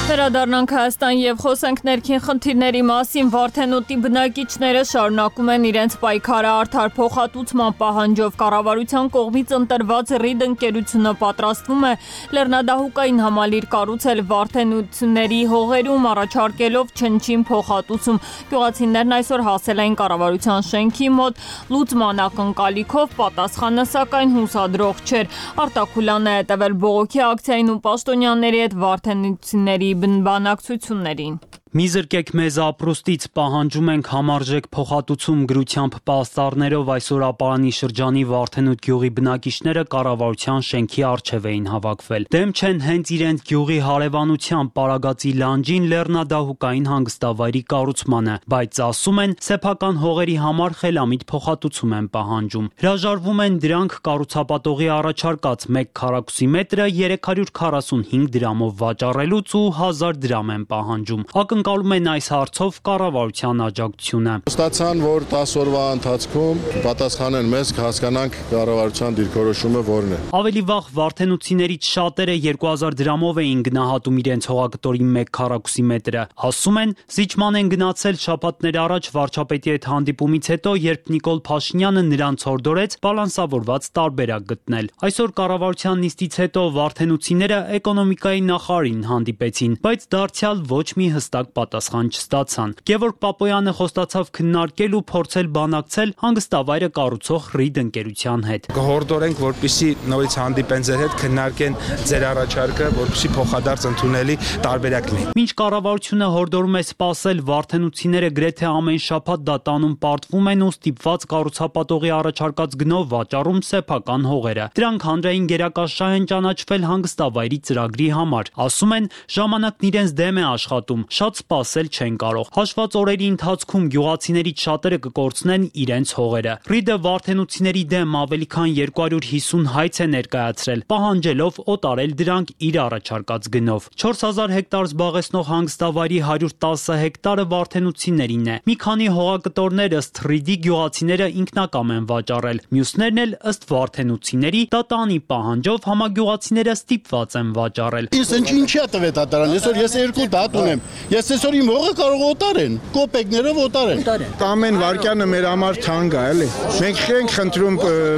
Վերադառնանք Հայաստան եւ խոսենք ներքին խնդիրների մասին։ Վարդենոտի բնակիչները շարունակում են իրենց պայքարը արդար փոխհատուցման պահանջով։ Կառավարության կողմից ընտրված ռիդ ընկերությունը պատրաստվում է լեռնադահուկային համալիր կառուցել վարդենությունների հողերում, առաջարկելով չնչին փոխհատուցում։ Գյուղացիներն այսօր հասել են կառավարության շենքի մոտ լուծման ակնկալիքով, պատասխանը սակայն հուսադրող չէր։ Արտակուլանը հետևել բողոքի ակցիային ու պաշտոնյաների հետ վարդենությունների բանակցություններին։
Մի զրկեք մեզ ապրուստից, պահանջում ենք համարժեք փոխհատուցում գրությամբ պաստառներով այսօր Ապարանի շրջանի Վարդենուտ գյուղի բնակիչները կառավարության շենքի առջև էին հավաքվել։ Դեմ չեն հենց իրենց գյուղի հարևանության Պարագածի լանջին լեռնադահուկային հանգստավայրի կառուցմանը, բայց ասում են սեփական հողերի համար խելամիտ փոխհատուցում են պահանջում։ Հրաժարվում են դրանք կառուցապատողի առաջարկած մեկ քառակուսի մետրը երեք հարյուր քառասունհինգ դրամով վաճառելուց ու հազար դրամ են պահանջում։ Ակնկալում են այս հարցով կառավարության աջակցությունը։
Ստացան, որ տասը օրվա ընթացքում պատասխանեն մեզ, հասկանանք կառավարության դիրքորոշումը որն է։
Ավելի վաղ վարդենուցիներից շատերը երկու հազար դրամով էին գնահատում իրենց հողակտորի մեկ քառակուսի մետրը։ Ասում են, զիջման են գնացել շաբաթներ առաջ վարչապետի հետ հանդիպումից հետո, երբ Նիկոլ Փաշինյանը նրանց հորդորեց բալանսավորված տարբերակ գտնել։ Այսօր կառավարության նիստից հետո վարդենուցիները էկոնոմիկայի նախարարին հանդիպեցին, բայց դարձյալ ոչ մի հստակ պատասխան չստացան։ Գևորգ Պապոյանը խոստացավ քննարկել ու փորձել բանակցել հանգստավայրը կառուցող ռիդ ընկերության հետ։
Կհորդորենք, որպեսզի նորից հանդիպեն ձեր հետ, քննարկեն ձեր առաջարկը, որպեսզի փոխադարձ ընդունելի տարբերակ լինի։
Մինչ կառավարությունը հորդորում է սպասել, վարդենուցիները գրեթե ամեն շաբաթ դատանում պարտվում են ու ստիպված կառուցապատողի առաջարկած գնով վաճառում սեփական հողերը։ Դրանք հանրային գերակաշահ են ճանաչվել հանգստավայրի ծրագրի համար։ Ասում են, ժամանակն իրենց դեմ է աշխատում, շատ սպասել չեն կարող։ Հաշված օրերի ընթացքում գյուղացիներից շատերը կկորցնեն իրենց հողերը։ Ռիդը վարդենուցիների դեմ ավելի քան երկու հարյուր հիսուն հայց է ներկայացրել, պահանջելով օտարել դրանք իր առաջարկած գնով։ չորս հազար հեկտար զբաղեցնող հանգստավայրի հարյուր տասը հեկտարը վարդենուցիներին է։ Մի քանի հողակտորներ ըստ ռիդի գյուղացիները ինքնակամ են վաճառել, մյուսներն էլ ըստ վարդենուցիների դատանի պահանջով համագյուղացիները ստիպված են վաճառել։
Իսկ ինչի՞ տվեց դատարան, այսօր ես երկու դատ ունեմ։ Ես
Բայց այսօր իմ հողը կարող օտարեն, կոպեկներով օտարեն։
Ամեն վարկյանը մեր համար թանկ է, էլի։ Մենք չենք խնդրում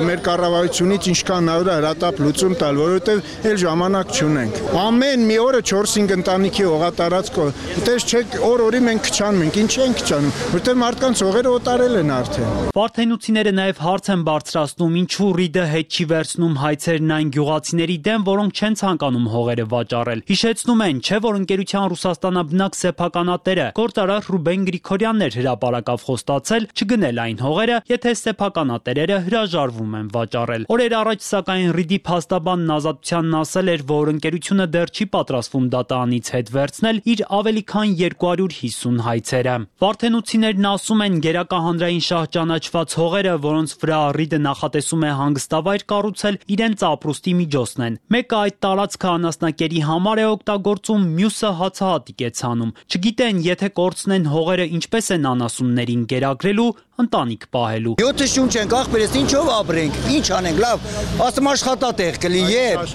մեր կառավարությունից ինչքան նավրա հրատապ լուծում տալ, որովհետև էլ ժամանակ չունենք։ Ամեն մի օրը չորս-հինգ ընտանիքի հողատարածք, այդպես չեք օր-օրի մենք քչանում ենք, ինչ ենք քչանում, որովհետև մարդկանց հողերը օտարել են արդեն։
Վարդենությունները նաև հարց են բարձրացնում, ինչու ՌԻԴ-ը հետ չի վերցնում հայցերն այն գյուղացիների դեմ, որոնք չեն ցանկանում հողերը վաճառել։ Հիշեցնում են, չէ՞ որ ընկերության Ռուսաստանաբնակ սեփականատերը գործարար Ռուբեն Գրիգորյանն էր հրապարակավ խոստացել չգնել այն հողերը, եթե սեփականատերերը հրաժարվում են վաճառել։ Օրեր առաջ սակայն ՌԻԴ-ի փաստաբանն Ազատությանն ասել էր, որ ընկերությունը դեռ չի պատրաստվում դատարանից հետ վերցնել իր ավելի քան երկու հարյուր հիսուն հայցերը։ Վարդենություններն ասում են, գերակա հանրային շահ ճանաչված հողերը, որոնց վրա ՌԻԴ-ը նախատեսում է հանգստավայր կառուցել, իրենց ապրուստի միջոցն են։ Մեկը այդ տարածքը անասնակերի համար է օգտագործում, մյուսը հացահատիկ է ցանում։ Չգիտեն, եթե կորցնեն հողերը, ինչպես են անասուններին գերագրելու, ընտանիք պահելու։
յոթ շունչ ենք ախպերես, ինչով ապրենք, ինչ անենք, լավ, ասում աշխատատեղ կլի, երբ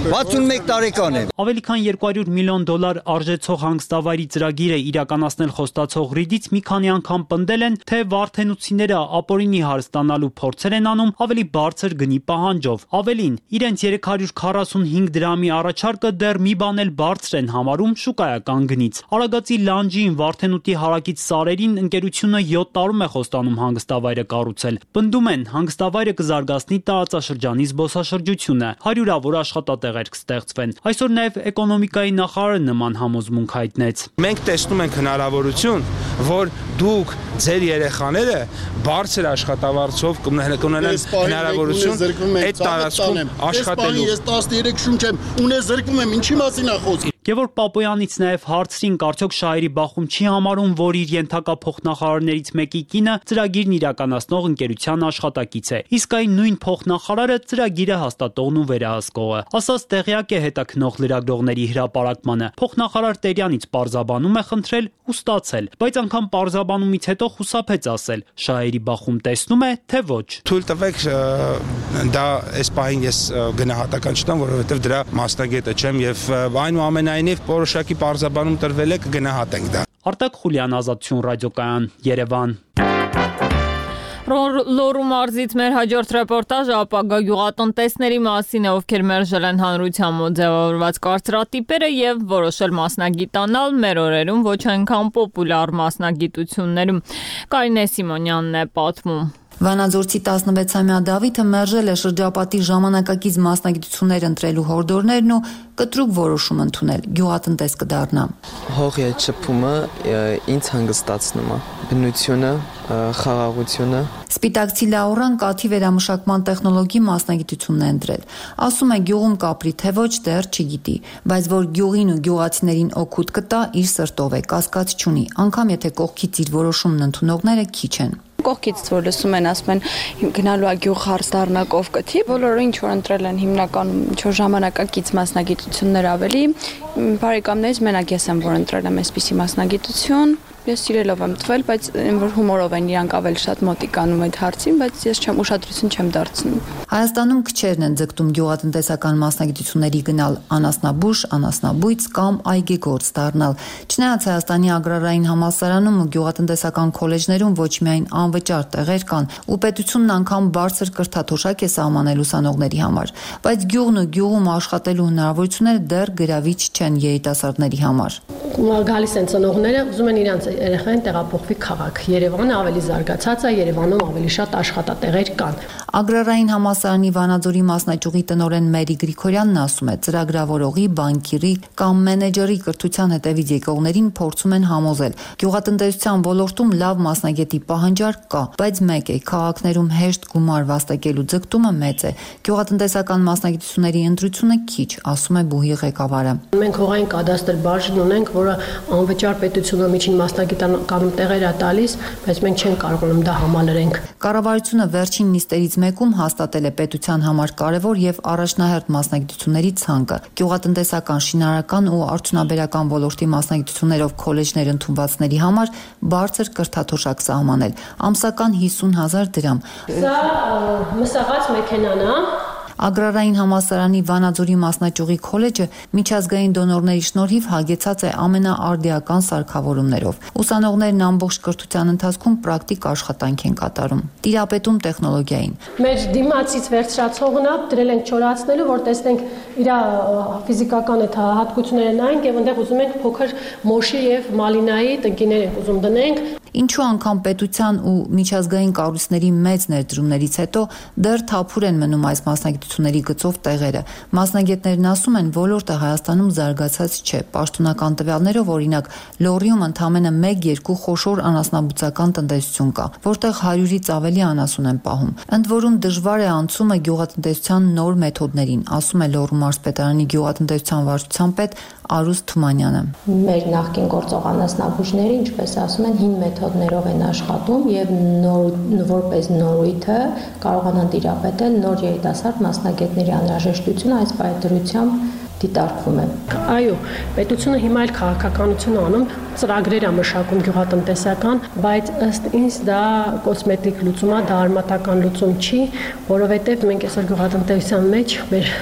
վաթսունմեկ տարեկան է։
Ավելի քան երկու հարյուր միլիոն դոլար արժեցող հանգստավայրի ծրագիրը իրականացնել խոստացող ՌԻԴ-ից մի քանի անգամ պնդել են, թե վարդենությունները ապօրինի հարստանալու փորձեր են անում ավելի բարձր գնի պահանջով։ Ավելին, իրենց երեք հարյուր քառասունհինգ դրամի առաջարկը դեռ մի բան էլ բարձր են համարում շուկայական գնից։ Արագածի լանջին Վարդենուտի հարակից սարերին ընկերությունը յոթ տարում է խոստանում հանգստավայրը կառուցել։ Պնդում են, հանգստավայրը կզարգացնի տարածաշրջանի զբոսաշրջությունը, հարյուրավոր աշխատատեղեր կստեղծվեն։ Այսօր նաև էկոնոմիկայի նախարարը նման համոզմունք հայտնեց։
Մենք տեսնում ենք հնարավորություն, որ դուք ձեր երեխաները բարձր աշխատավարձով կունենան հնարավորություն այդ տարածքում աշխատելու։
Ես տասներեք շունչ եմ, ունես զրկվում եմ, ինչի մասին է խոսքը։
Գևորգ Պապոյանից նաև հարցրին, արդյոք Շահերի Բախում չի համարում, որ իր ենթակա փոխնախարարներից մեկի կինը ծրագիրն իրականացնող ընկերության աշխատակից է։ Իսկ այն նույն փոխնախարարը ծրագիրը հաստատողն ու վերահսկողը։ Ասած տեղյակ է հետաքնող լրագրողների հրապարակմանը։ Փոխնախարար Տերյանից պարզաբանում է խնդրել ու ստացել, բայց անգամ պարզաբանումից հետո խուսափեց ասել։ Շահերի Բախում տեսնում է, թե ոչ։
Թույլ տվեք, դա այս պահին ես գնահատական չտամ, որովհետև դրա մասնագետը չեմ եւ այնուամենայնիվ որոշակի պարզաբանում տրվել է, կգնահատենք դա։
Արտակ Խուլյան, Ազատություն ռադիոկայան, Երևան։
Լոռու մարզից մեր հաջորդ ռեպորտաժը ապագա գյուղատնտեսների մասին է, ովքեր մերժել են հանրության մոտ ձևավորված կարծրատիպերը եւ որոշել մասնագիտանալ մեր օրերում ոչ այնքան պոպուլար մասնագիտություններում։ Կարինե Սիմոնյանն է պատմում։
Վանաձորցի տասնվեցամյա Դավիթը մերժել է շրջապատի ժամանակակից մասնագիտություններ ընտրելու հորդորներն ու կտրուկ որոշում ընդունել՝ գյուղատնտես կդառնա։
Հողի այդ շփումը ինձ հանգստացնում է, բնությունը, խաղաղությունը։
Սպիտակցի Լաուրան կաթի վերամշակման տեխնոլոգի մասնագիտությունն է ընտրել։ Ասում է գյուղում կապրի թե ոչ դեռ չգիտի, բայց որ գյուղին ու գյուղացիներին օգուտ կտա, իր սրտով է, կասկած չունի, անգամ եթե կողքից իր որոշումն ընդունողները քիչ են։
Կողքից որ լսում են, ասում են գնալու է գյուղ հարց դառնա կովկթի, բոլորը ինչ որ ընտրել են հիմնականում ինչ որ ժամանակակից մասնագիտություններ ավելի, բարեկամներից մենակ ես եմ որ ընտրել եմ այսպիսի մասնագիտություն։ Ես սիրելով եմ տվել, բայց որ հումորով են իրանք ավելի շատ մոտիկանում այդ հարցին, բայց ես չեմ ուշադրություն չեմ դարձնում։
Հայաստանում քչերն են ձգտում գյուղատնտեսական մասնագիտությունների գնալ, անասնաբուժ, անասնաբույծ կամ այգեգործ դառնալ։ Չնայած Հայաստանի agrarային համալսարանում ու գյուղատնտեսական քոլեջներում ոչ միայն անվճար տեղեր կան, ու պետությունն անգամ բարձր կրթաթոշակ է սահմանել ուսանողների համար, բայց գյուղն ու գյուղում աշխատելու հնարավորությունները դեռ գրավիչ չեն երիտասարդների համար։
Գալիս են ծնողները, ուզում են իրանց երեխային տեղափոխվի քաղաք։ Երևանը ավելի զարգացած է, Երևանում ավելի շատ աշխատատեղեր կան։
Ագրարային համալսարանի Վանաձորի մասնաճյուղի տնօրեն Մերի Գրիգորյանն ասում է, ծրագրավորողի, բանկիրի կամ մենեջերի կրթության հետևից եկողներին փորձում են համոզել։ Գյուղատնտեսության ոլորտում լավ մասնագետի պահանջարկ կա, բայց մեկ է, քաղաքներում հեշտ գումար վաստակելու ձգտումը մեծ է։ Գյուղատնտեսական մասնագիտությունների ընտրությունը քիչ, ասում է բուհի ղեկավարը։
Մենք հողային կադաստր բաժին ունենք, որը անվճար պետությունը միջին մասնագիտականում տեղեր է տալիս, բայց մենք չենք կարողանում դա համալրենք։
Կառավարությունը վերջին նիստերից մեկում հաստատել է պետության համար կարևոր եւ առաջնահերթ մասնագիտությունների ցանկը։ Գյուղատնտեսական, շինարարական ու արդյունաբերական ոլորտի մասնագիտություններով քոլեջներ ընդունվածների համար բարձր կրթաթոշակ սահմանել, ամսական հիսուն հազար դրամ։
Սա մսաղած մեքենան է։
Ագրարային համալսարանի Վանաձորի մասնաճյուղի քոլեջը միջազգային դոնորների շնորհիվ հագեցած է ամենաարդիական սարքավորումներով։ Ուսանողներն ամբողջ կրթության ընթացքում պրակտիկ աշխատանք են կատարում։ Տիրապետում տեխնոլոգիային։
Մեր դիմացից վերցրածողն է դրել ենք չորացնելու, որ տեսնենք իր ֆիզիկական այդ հատկությունները նայենք եւ այնտեղ ուզում ենք փոքր մոշի եւ մալինայի տնկիներ ենք ուզում դնենք։
Ինչու անգամ պետության ու միջազգային կառույցների մեծ ներդրումներից հետո դեռ թափուր են մնում այս մասնագիտությունների գծով տեղերը։ Մասնագետներն ասում են, ոլորտը Հայաստանում զարգացած չէ։ Պաշտոնական տվյալներով, օրինակ, Լոռիում ընդամենը մեկ-երկու խոշոր անասնաբուծական տնտեսություն կա, որտեղ հարյուրից ավելի անասուն են պահում։ Ընդ որում դժվար է անցումը գյուղատնտեսության նոր մեթոդներին, ասում է Լոռու մարզպետարանի գյուղատնտեսության վարչության պետ Արուս Թումանյանը։
Մեր նախկին գործող անասնաբուժները, ինչպես ասում են, հին մեթոդներով են աշխատում եւ նոր որպես նորույթը կարողանան տիրապետել նոր երիտասարդ մասնագետների անհրաժեշտությունը այս պայծրությամբ դիտարկվում է։ Այո, պետությունը հիմա էլ քաղաքականություն անում, ծրագրեր է մշակում գյուղատնտեսական, բայց ըստ ինձ դա կոսմետիկ լուծում է, դա արմատական լուծում չի, որովհետեւ մենք այսօր գյուղատնտեսության մեջ մեր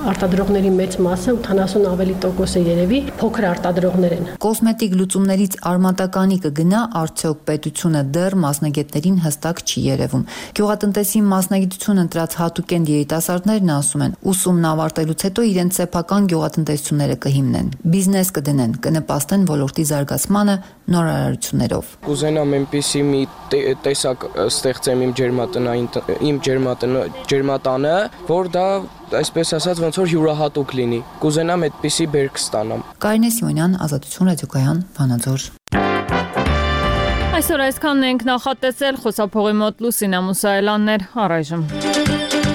արտադրողների մեծ մասը ութանասուն ավելի տոկոսը երևի փոքր արտադրողներ են։
Կոսմետիկ լուծումներից արմատականի կգնա, արդյոք պետությունը դեռ մասնագետներին հստակ չի երևում։ Գյուղատնտեսի մասնագիտություն ընտրած հատուկենտ երիտասարդներն ասում են, ուսումն ավարտելուց հետո իրենց սեփական գյուղատնտեսությունները կհիմնեն, բիզնես կդնեն, կնպաստեն ոլորտի զարգացմանը նորարարություններով։
Կուզենամ այնպիսի մի տեսակ ստեղծեմ իմ ջերմատնային իմ ջերմատանը, որ դա այսպես ասած ոնց որ յուրահատուկ լինի։ Կուզենամ այդպիսի բերք ստանամ։
Կարինե Սիմոնյան, Ազատություն ռադիոկայան, Վանաձոր։
Այսօր այսքանն ենք նախատեսել, խոսափողի մոտ Լուսինա Մուսայելյանն էր, առայժմ։